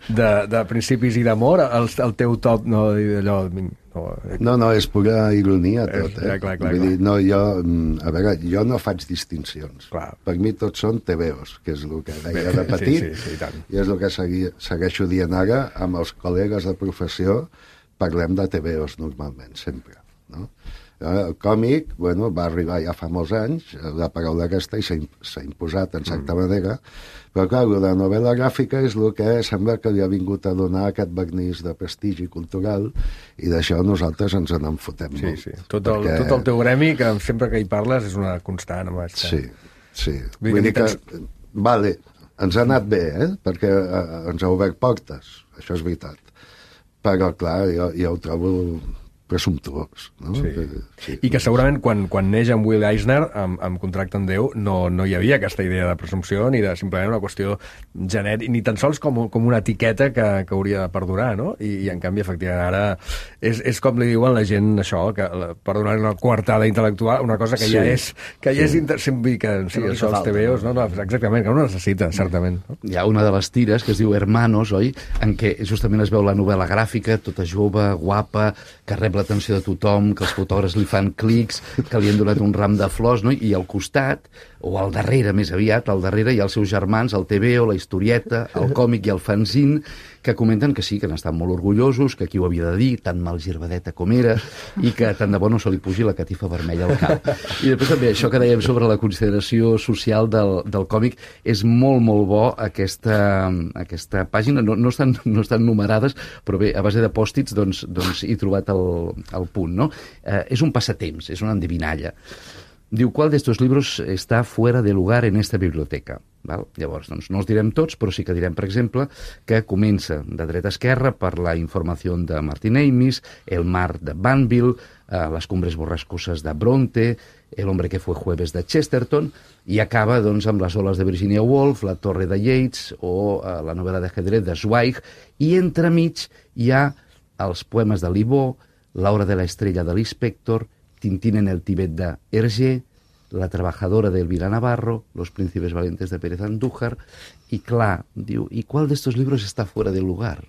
de principis i d'amor. El teu top, no, allò... No, és pura ironia tot, Clar. Vull dir, no, a veure, jo no faig distincions. Clar. Per mi tots són TVOs, que és el que deia de petit, sí, tant. I és el que segueixo dient ara amb els col·legues de professió. Parlem de TVOs normalment, sempre, no? El còmic, va arribar ja fa molts anys, la paraula aquesta, i s'ha imposat en certa manera, però clar, la novel·la gràfica és el que sembla que li ha vingut a donar aquest vernís de prestigi cultural, i d'això nosaltres ens en fotem molt. Sí. Tot el teu gremi, que sempre que hi parles és una constant. Sí. Vull dir que, vale, ens ha anat bé, perquè ens ha obert portes, això és veritat. Però clar, jo ho trobo presumptuós, no? Sí. I que segurament quan neix en Will Eisner amb Contracte amb Déu no hi havia aquesta idea de presumpció ni de simplement una qüestió genèrica, ni tan sols com una etiqueta que hauria de perdurar, no? I en canvi, efectivament, ara és com li diuen la gent això, que per donar una coartada intel·lectual, una cosa que ja és sempre que això els TVOs, no, exactament, que no necessita, certament. No? Hi ha una de les tires que es diu Hermanos, oi? En què justament es veu la novel·la gràfica, tota jove, guapa, que rep l'atenció de tothom, que els fotògrafs li fan clics, que li han donat un ram de flors, no? I al costat, o al darrere més aviat, al darrere hi ha els seus germans, el TVO, la historieta, el còmic i el fanzine, que comenten que sí, que n'estan molt orgullosos, que qui ho havia de dir, tan mal girbadeta com era, i que tant de bo no se li pugi la catifa vermella al cap. I després també això que dèiem sobre la consideració social del còmic, és molt, molt bo aquesta pàgina, no estan numerades, però bé, a base de pòstits doncs he trobat el punt, no? És un passatemps, és una endevinalla. Diu, ¿cuál de estos libros está fuera de lugar en esta biblioteca? Val? Llavors, doncs, no els direm tots, però sí que direm, per exemple, que comença de dreta a esquerra per la informació de Martin Amis, El mar de Banville, Les cumbres borrascoses de Bronte, El hombre que fue jueves de Chesterton, i acaba doncs, amb Les oles de Virginia Woolf, La torre de Yeats o la novel·la d'ajedrez de Zweig, i entremig hi ha els poemes de Libó, La hora de la estrella de l'Inspector, Tintín en el Tíbet de Hergé, La trabajadora de Elvira Navarro, Los príncipes valientes de Pérez Andújar, i clar, diu, ¿y cuál de estos libros está fuera del lugar?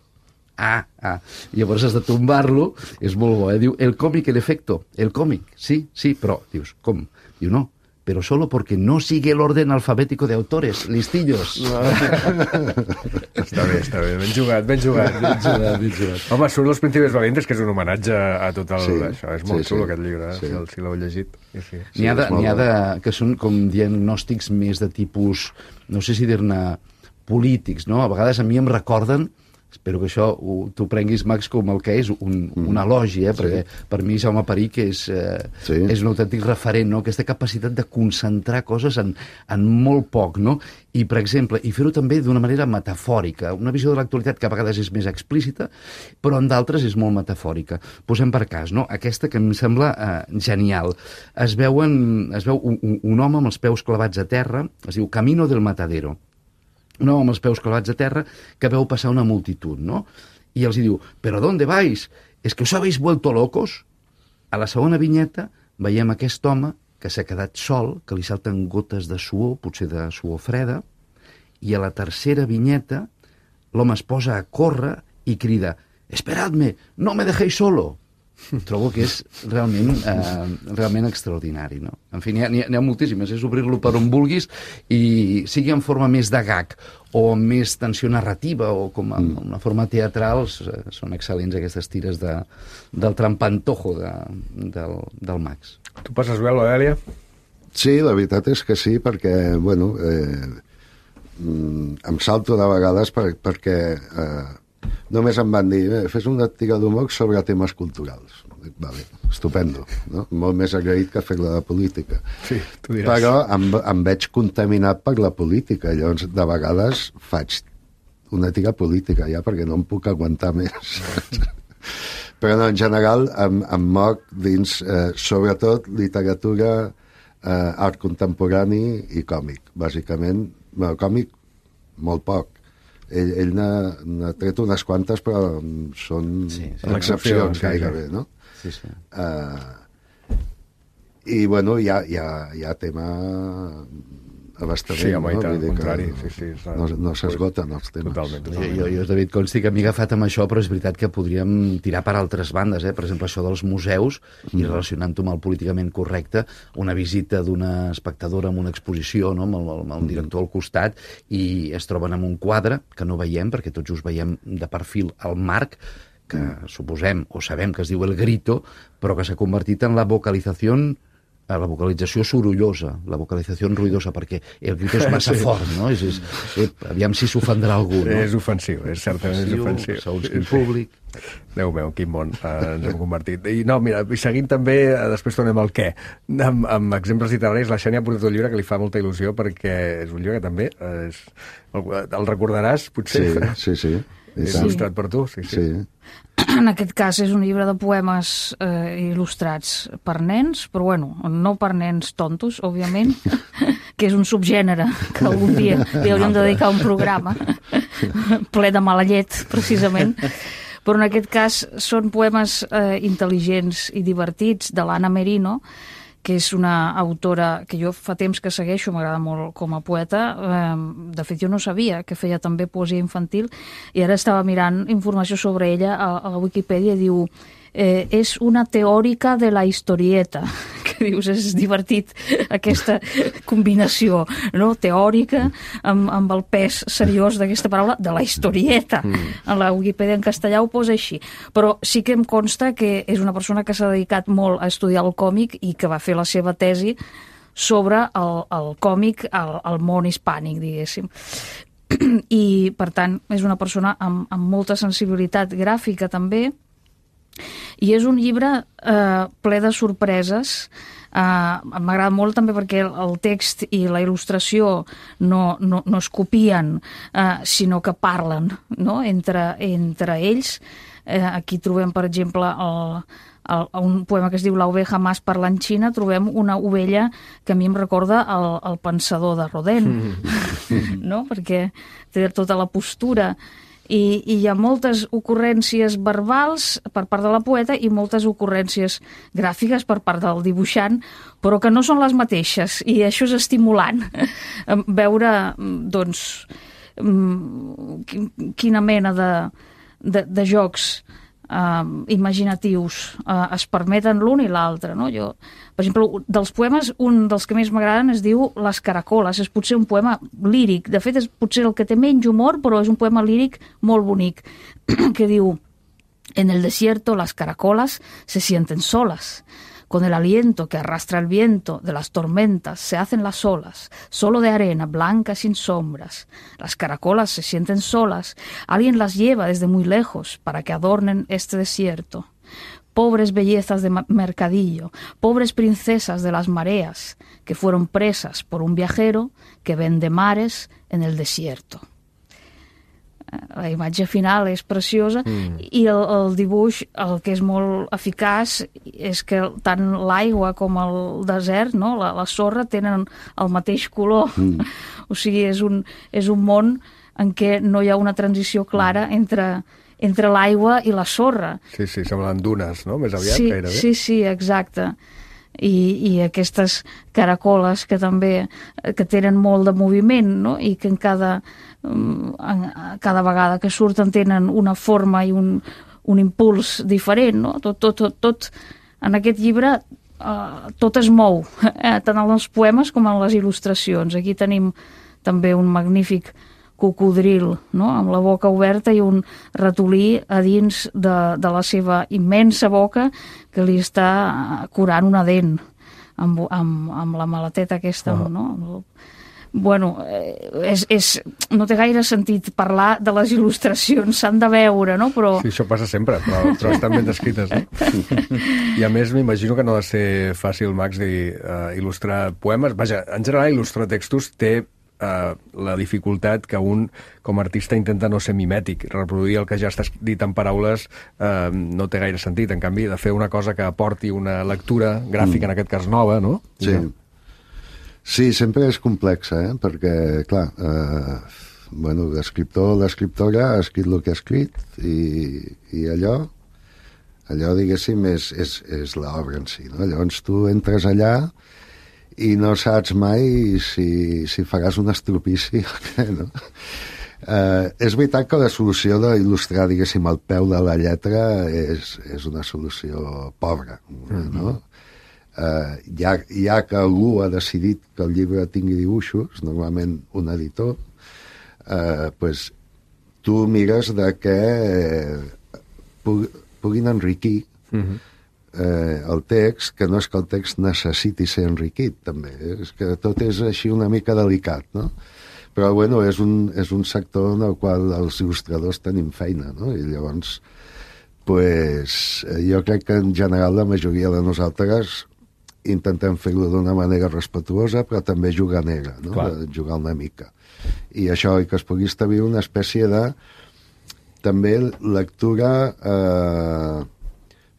Llavors has de tombar-lo, és molt bo, diu, el còmic, en efecto, el còmic, sí, però, dius, com? Diu, no, pero solo porque no sigue el orden alfabético de autores, listillos. Està bé, ben jugat. Home, surt Los príncipes valientes, que és un homenatge a tot el... Això, és molt xulo, aquest llibre, si l'heu llegit. N'hi ha que són com diagnòstics més de tipus, no sé si dir-ne polítics, no? A vegades a mi em recorden, espero que això t'ho prenguis, Max, com el que és un elogi, perquè per mi Jaume Perich és un autèntic referent, no? Aquesta capacitat de concentrar coses en molt poc, no? I, per exemple, i fer-ho també d'una manera metafòrica, una visió de l'actualitat que a vegades és més explícita, però en d'altres és molt metafòrica. Posem per cas, no? Aquesta que em sembla genial. Es veu un home amb els peus clavats a terra, es diu Camino del Matadero, un home amb els peus clavats a terra que veu passar una multitud, no? I els diu, ¿pero dónde vais? ¿Es que os habéis vuelto locos? A la segona vinyeta veiem aquest home que s'ha quedat sol, que li salten gotes de suor, potser de suor freda, i a la tercera vinyeta l'home es posa a córrer i crida, «Esperadme, no me dejéis solo!» Trobo que és realment extraordinari, no? En fi, n'hi ha moltíssimes, és obrir-lo per on vulguis i sigui en forma més de gag o amb més tensió narrativa o com en una forma teatral, són excel·lents aquestes tires del trampantojo del Max. Tu passes bé, l'Odèlia? Sí, la veritat és que sí, perquè, bueno, em salto de vegades perquè només em van dir, fes una tira d'humor sobre temes culturals. Vale, estupendo, no? Molt més agraït que fer-la de política. Sí, tu diràs. Però em veig contaminat per la política, llavors de vegades faig una tira política ja perquè no em puc aguantar més. Però no, en general em moc dins sobretot literatura, art contemporani i còmic, bàsicament. Bueno, còmic, molt poc. Ell n'ha tret unes quantes, però són excepcions gairebé, no? Sí. I, bueno, hi ha tema abastament. Sí, home, i tant, al contrari. No s'esgoten els temes. Totalment. Jo, David, consti que m'he agafat amb això, però és veritat que podríem tirar per altres bandes, per exemple, això dels museus, i relacionant-ho amb el políticament correcte, una visita d'una espectadora amb una exposició, no? amb el director al costat, i es troben amb un quadre que no veiem, perquè tots us veiem de perfil al marc, que suposem o sabem que es diu El Grito, però que s'ha convertit en la vocalització sorollosa, la vocalització ruïdosa, perquè el grito és massa fort, no? Aviam si s'ofendrà algú, no? És ofensiu, certament és ofensiu. Segons quin públic. Déu meu, quin món ens hem convertit. I no, mira, seguint també, després tornem al què, amb exemples literaris, la Xènia ha portat un llibre que li fa molta il·lusió, perquè és un llibre que també el recordaràs, potser? Sí. És il·lustrat per tu, sí. En aquest cas és un llibre de poemes il·lustrats per nens, però bueno, no per nens tontos, òbviament, que és un subgènere que algun dia li hauríem de dedicar un programa ple de mala llet, precisament. Però en aquest cas són poemes intel·ligents i divertits de l'Anna Merino, que és una autora que jo fa temps que segueixo, m'agrada molt com a poeta. De fet, jo no sabia que feia també poesia infantil i ara estava mirant informació sobre ella a la Wikipedia i diu és una teòrica de la historieta, que dius, és divertit aquesta combinació, no? Teòrica amb el pes seriós d'aquesta paraula, de la historieta. A la Wikipedia en castellà ho posa així. Però sí que em consta que és una persona que s'ha dedicat molt a estudiar el còmic i que va fer la seva tesi sobre el còmic al món hispànic, diguéssim. I, per tant, és una persona amb molta sensibilitat gràfica també, i és un llibre ple de sorpreses. M'agrada molt també perquè el text i la il·lustració no es copien, sinó que parlen, no? entre ells. Aquí trobem, per exemple, un poema que es diu La oveja más parlanchina, trobem una ovella que a mi em recorda el pensador de Rodin, no? Perquè té tota la postura. I hi ha moltes ocurrències verbals per part de la poeta i moltes ocurrències gràfiques per part del dibuixant, però que no són les mateixes, i això és estimulant. Veure, doncs, quina mena de jocs imaginatius es permeten l'un i l'altre, no? Jo, per exemple, dels poemes, un dels que més m'agraden es diu Les caracoles. És potser un poema líric. De fet, és potser el que té menys humor, però és un poema líric molt bonic, que diu: En el desierto las caracolas se sienten solas. Con el aliento que arrastra el viento de las tormentas se hacen las olas, solo de arena blanca sin sombras. Las caracolas se sienten solas, alguien las lleva desde muy lejos para que adornen este desierto. Pobres bellezas de mercadillo, pobres princesas de las mareas, que fueron presas por un viajero que vende mares en el desierto. La imatge final és preciosa i el dibuix, el que és molt eficaç, és que tant l'aigua com el desert, no? la sorra, tenen el mateix color. O sigui, és un món en què no hi ha una transició clara entre l'aigua i la sorra. Sí, semblen dunes, no? Més aviat, gairebé. Sí, exacte. I aquestes caracoles que també que tenen molt de moviment, no? I que cada vegada que surten tenen una forma i un impuls diferent, no? Tot en aquest llibre tot es mou, tant en els poemes com en les il·lustracions. Aquí tenim també un magnífic cocodril, no? Amb la boca oberta i un ratolí a dins de la seva immensa boca que li està curant una dent amb la maleteta aquesta, no? Bueno, no té gaire sentit parlar de les il·lustracions, s'han de veure, no? Però... Sí, això passa sempre, però estan ben descrites, no? I a més m'imagino que no ha de ser fàcil, Max, il·lustrar poemes. Vaja, en general il·lustrar textos té la dificultat que un, com a artista, intenta no ser mimètic. Reproduir el que ja està dit en paraules no té gaire sentit. En canvi, de fer una cosa que aporti una lectura gràfica, en aquest cas nova, no? Sí, sempre és complexa, perquè, clar, l'escriptor o l'escriptora ha escrit el que ha escrit i allò, diguéssim, és l'obra en si, no? Llavors tu entres allà i no saps mai si faràs un estropici o què, no? És veritat que la solució d'il·lustrar, diguéssim, al peu de la lletra és una solució pobra, no? Ja que algú ha decidit que el llibre tingui dibuixos, normalment un editor, pues, tu mires de que puguin enriquir el text, que no és que el text necessiti ser enriquit, també. És que tot és així una mica delicat, no? Però, bueno, és un sector en el qual els il·lustradors tenim feina, no? I llavors, pues, jo crec que en general la majoria de nosaltres intentem fer-ho d'una manera respetuosa, però també jugar negra, no? Jugar una mica. I això, i que es pugui establir una espècie de també lectura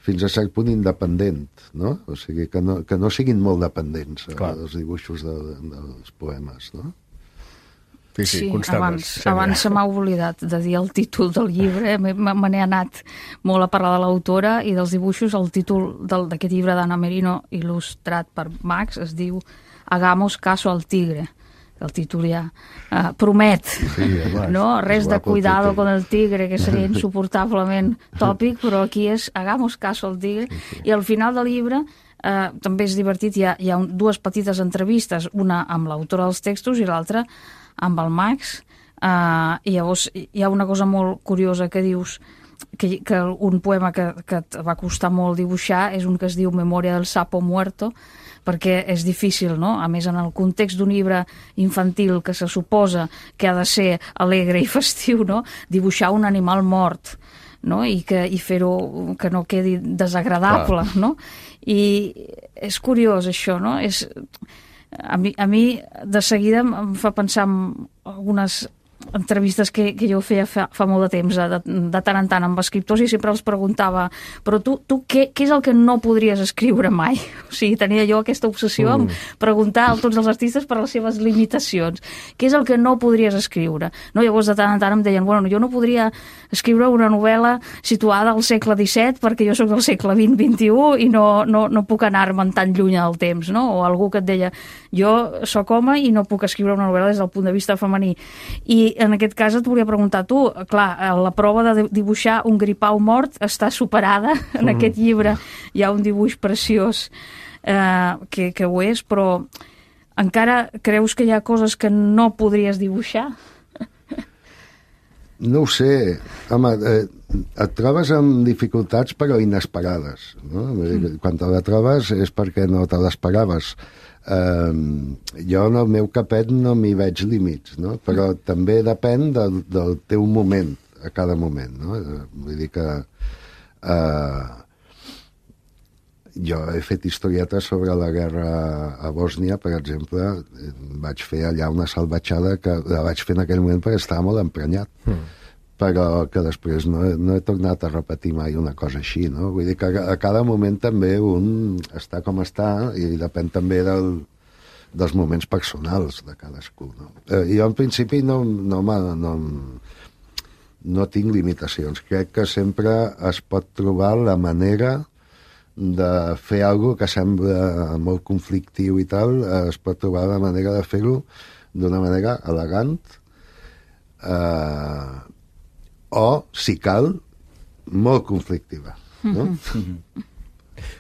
fins a cert punt independent, no? O sigui, que no siguin molt dependents els dibuixos dels poemes, no? Sí, abans se m'ha oblidat de dir el títol del llibre, me n'he anat molt a parlar de l'autora i dels dibuixos. El títol d'aquest llibre d'Anna Merino, il·lustrat per Max, es diu Hagamos caso al tigre, que el títol ja promet, no? Res de cuidado con el tigre, que seria insuportablement tòpic, però aquí és hagamos caso al tigre, i al final del llibre també és divertit, hi ha dues petites entrevistes, una amb l'autora dels textos i l'altra amb el Max, i llavors hi ha una cosa molt curiosa que dius, que un poema que et va costar molt dibuixar és un que es diu Memòria del sapo muerto, perquè és difícil, no? A més, en el context d'un llibre infantil que se suposa que ha de ser alegre i festiu, no? Dibuixar un animal mort, no? I fer-ho que no quedi desagradable, no? I és curiós això, no? A mi de seguida em fa pensar en algunes entrevistes que jo feia fa molt de temps, de tant en tant amb escriptors, i sempre els preguntava, però tu què és el que no podries escriure mai? O sigui, tenia jo aquesta obsessió en preguntar a tots els artistes per les seves limitacions. Què és el que no podries escriure? No? Llavors, de tant en tant em deien, bueno, jo no podria escriure una novel·la situada al segle XVII perquè jo sóc del segle XX-XXI i no puc anar-me'n tan lluny del temps, no? O algú que et deia, jo sóc home i no puc escriure una novel·la des del punt de vista femení. I en aquest cas et volia preguntar tu, clar, la prova de dibuixar un gripau mort està superada, en aquest llibre hi ha un dibuix preciós que ho és, però encara creus que hi ha coses que no podries dibuixar? No ho sé, home, et trobes amb dificultats però inesperades, no? Quan te la trobes és perquè no te l'esperaves. Jo en el meu capet no m'hi veig límits, no? Però també depèn del teu moment, a cada moment, no? Vull dir que jo he fet historietes sobre la guerra a Bòsnia, per exemple. Vaig fer allà una salvatjada que la vaig fer en aquell moment perquè estava molt emprenyat, però que després no he tornat a repetir mai una cosa així, no? Vull dir que a cada moment també un està com està i depèn també dels moments personals de cadascú, no? Jo en principi no tinc limitacions. Crec que sempre es pot trobar la manera de fer alguna que sembla molt conflictiu i tal, es pot trobar la manera de fer-ho d'una manera elegant, o, si cal, molt conflictiva, no?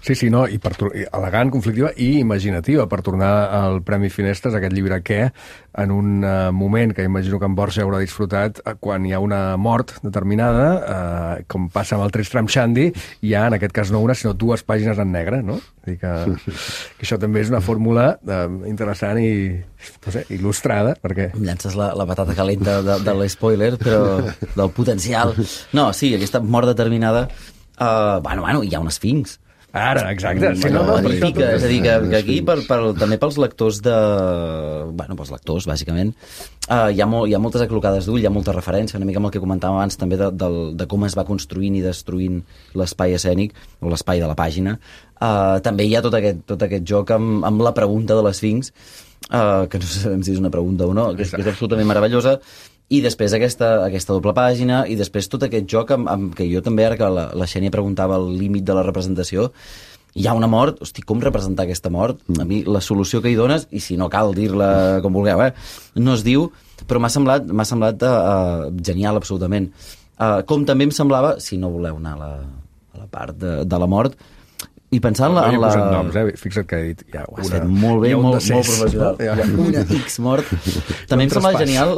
Sí, no, i elegant, conflictiva i imaginativa, per tornar al Premi Finestres, aquest llibre que, en un moment que imagino que en Borja haurà disfrutat, quan hi ha una mort determinada, com passa amb el Tristram Shandy, hi ha, en aquest cas no una, sinó dues pàgines en negre, no? Vull dir que això també és una fórmula interessant i, no sé, il·lustrada, perquè... Em llances la patata calenta de l'spoiler, però del potencial. No, sí, aquesta mort determinada... Bueno, hi ha un esfinx. Ara, exacte. Sí, és a dir, que aquí, també pels lectors pels lectors, bàsicament, hi ha moltes aclocades d'ull, hi ha molta referència, una mica amb el que comentàvem abans, també de com es va construint i destruint l'espai escènic, o l'espai de la pàgina. També hi ha tot aquest joc amb la pregunta de l'esfinx, que no sabem si és una pregunta o no, que és absolutament meravellosa, i després aquesta doble pàgina, i després tot aquest joc amb que jo també, ara que la Xènia preguntava el límit de la representació, hi ha una mort, hosti, com representar aquesta mort? A mi la solució que hi dones, i si no cal dir-la com vulgueu, no es diu, però m'ha semblat genial, absolutament. Com també em semblava, si no voleu anar a la part de la mort, i pensant en la... Noms, fixa't que he dit... Ho has fet molt bé, molt professional. Hi ha una X mort. També em sembla genial,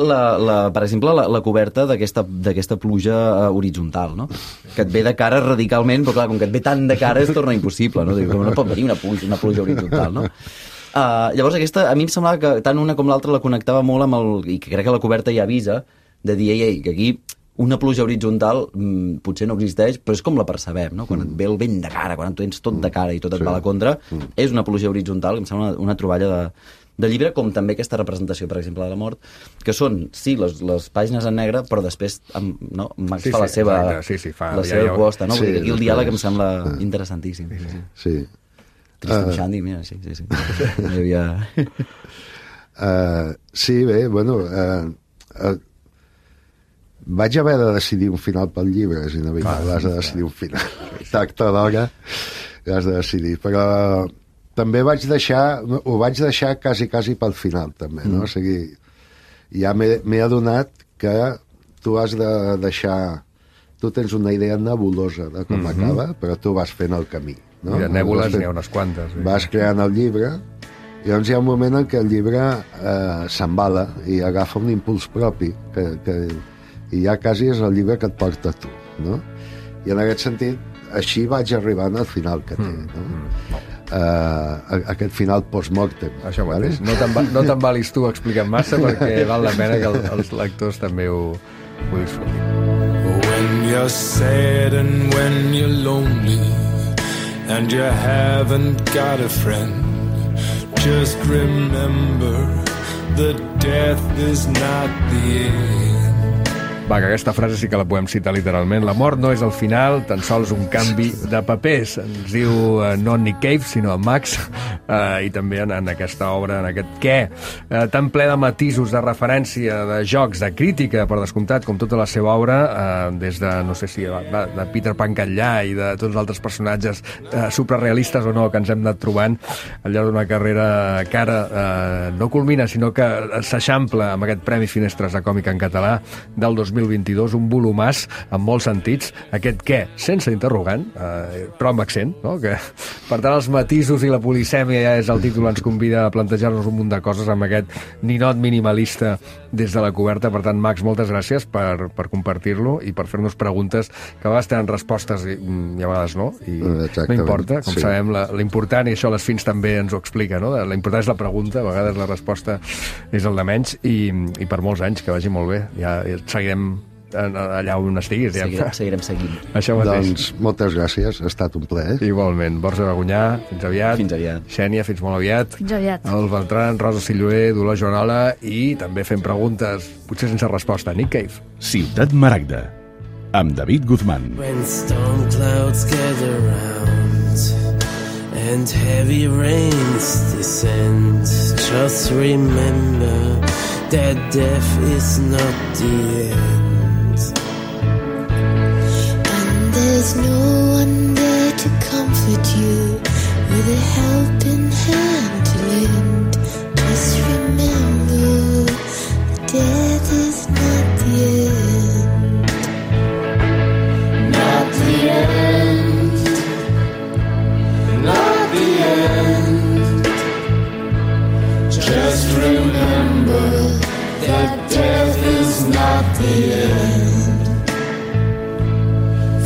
per exemple, la coberta d'aquesta pluja horitzontal, no? Que et ve de cara radicalment, però clar, com que et ve tant de cara es torna impossible, no? No pot venir una pluja horitzontal, no? Llavors aquesta, a mi em semblava que tant una com l'altra la connectava molt amb el... i que crec que la coberta ja avisa de dir, que aquí una pluja horitzontal potser no existeix, però és com la percebem, no? Quan et ve el vent de cara, quan tu tens tot de cara i tot et va a la contra, és una pluja horitzontal, que em sembla una troballa de llibre, com també aquesta representació, per exemple, de la mort, que són, sí, les pàgines en negre, però després Max fa la seva proposta, no? Vull dir, aquí el diàleg em sembla interessantíssim. Sí. Tristram Shandy, mira, sí. Sí, bé, bueno... Vaig haver de decidir un final pel llibre, és inevitable, has de decidir un final. Tacte d'hora, has de decidir. Però també ho vaig deixar quasi pel final, també, no? O sigui, ja m'he adonat que tu has de deixar... Tu tens una idea nebulosa de com acaba, però tu vas fent el camí, no? Mira, nèbules n'hi ha unes quantes. Vas creant el llibre, i llavors hi ha un moment en què el llibre s'embala i agafa un impuls propi, i ja quasi és el llibre que et porta tu, no? I en aquest sentit, així vaig arribant al final que té, no? Aquest final post-mortem. Això mateix. No t'embalis tu explicant massa, perquè val la pena que els lectors també ho disfrutin. When you're sad and when you're lonely and you haven't got a friend, just remember that death is not the end. Va, que aquesta frase sí que la podem citar literalment. La mort no és el final, tan sols un canvi de papers. Ens diu no Nick Cave, sinó Max, i també en aquesta obra, en aquest què, tan ple de matisos, de referència, de jocs, de crítica, per descomptat, com tota la seva obra, des de, no sé si de Peter Pan Catllà i de tots els altres personatges suprarealistes o no que ens hem anat trobant al llarg d'una carrera que ara no culmina, sinó que s'eixampla amb aquest Premi Finestres de Còmic en Català del 2022, un volumàs en molts sentits, aquest què, sense interrogant, però amb accent, no? Que, per tant, els matisos i la polisèmia ja és el títol, ens convida a plantejar-nos un munt de coses amb aquest ninot minimalista des de la coberta. Per tant, Max, moltes gràcies per compartir-lo i per fer-nos preguntes que a vegades tenen respostes i a vegades no, i no importa, com sabem, l'important, i això les Fins també ens ho explica, no? La important és la pregunta, a vegades la resposta és el de menys, i per molts anys, que vagi molt bé. Ja seguirem allà on estiguis. Seguirem seguint. Això mateix. Doncs moltes gràcies, ha estat un plaer. Igualment. Borja Begunyà, fins aviat. Fins aviat. Xènia, fins molt aviat. Fins aviat. El Beltran, Rosa Silloé, Dolors Joanola, i també fent preguntes, potser sense resposta. Nick Cave. Ciutat Maragda, amb David Guzmán. When storm clouds gather round and heavy rains descend, just remember that death is not the end. And there's no one there to comfort you with a helping hand to lend. Just remember that death is not the end. Not the end. Not the end. Just remember that death is not the end.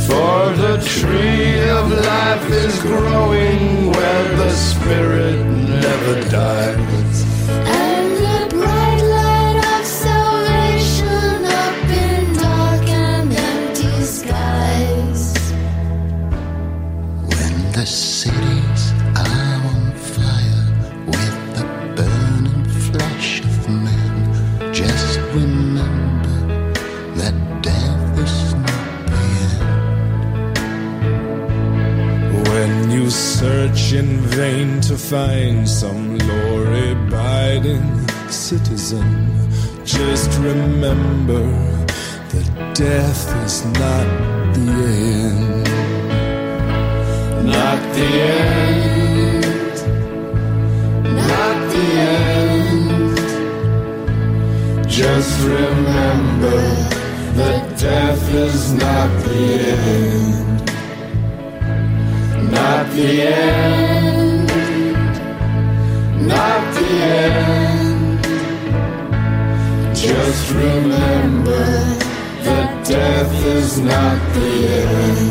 For the tree of life is growing where the spirit never dies. And the bright light of salvation up in dark and empty skies. When the cities are on fire with the burning flesh of men, just remember that death is not the end. When you search in vain to find some law-abiding citizen, just remember that death is not the end. Not the end. Not the end. Just remember that death is not the end. Not the end. Not the end. Just remember that death is not the end.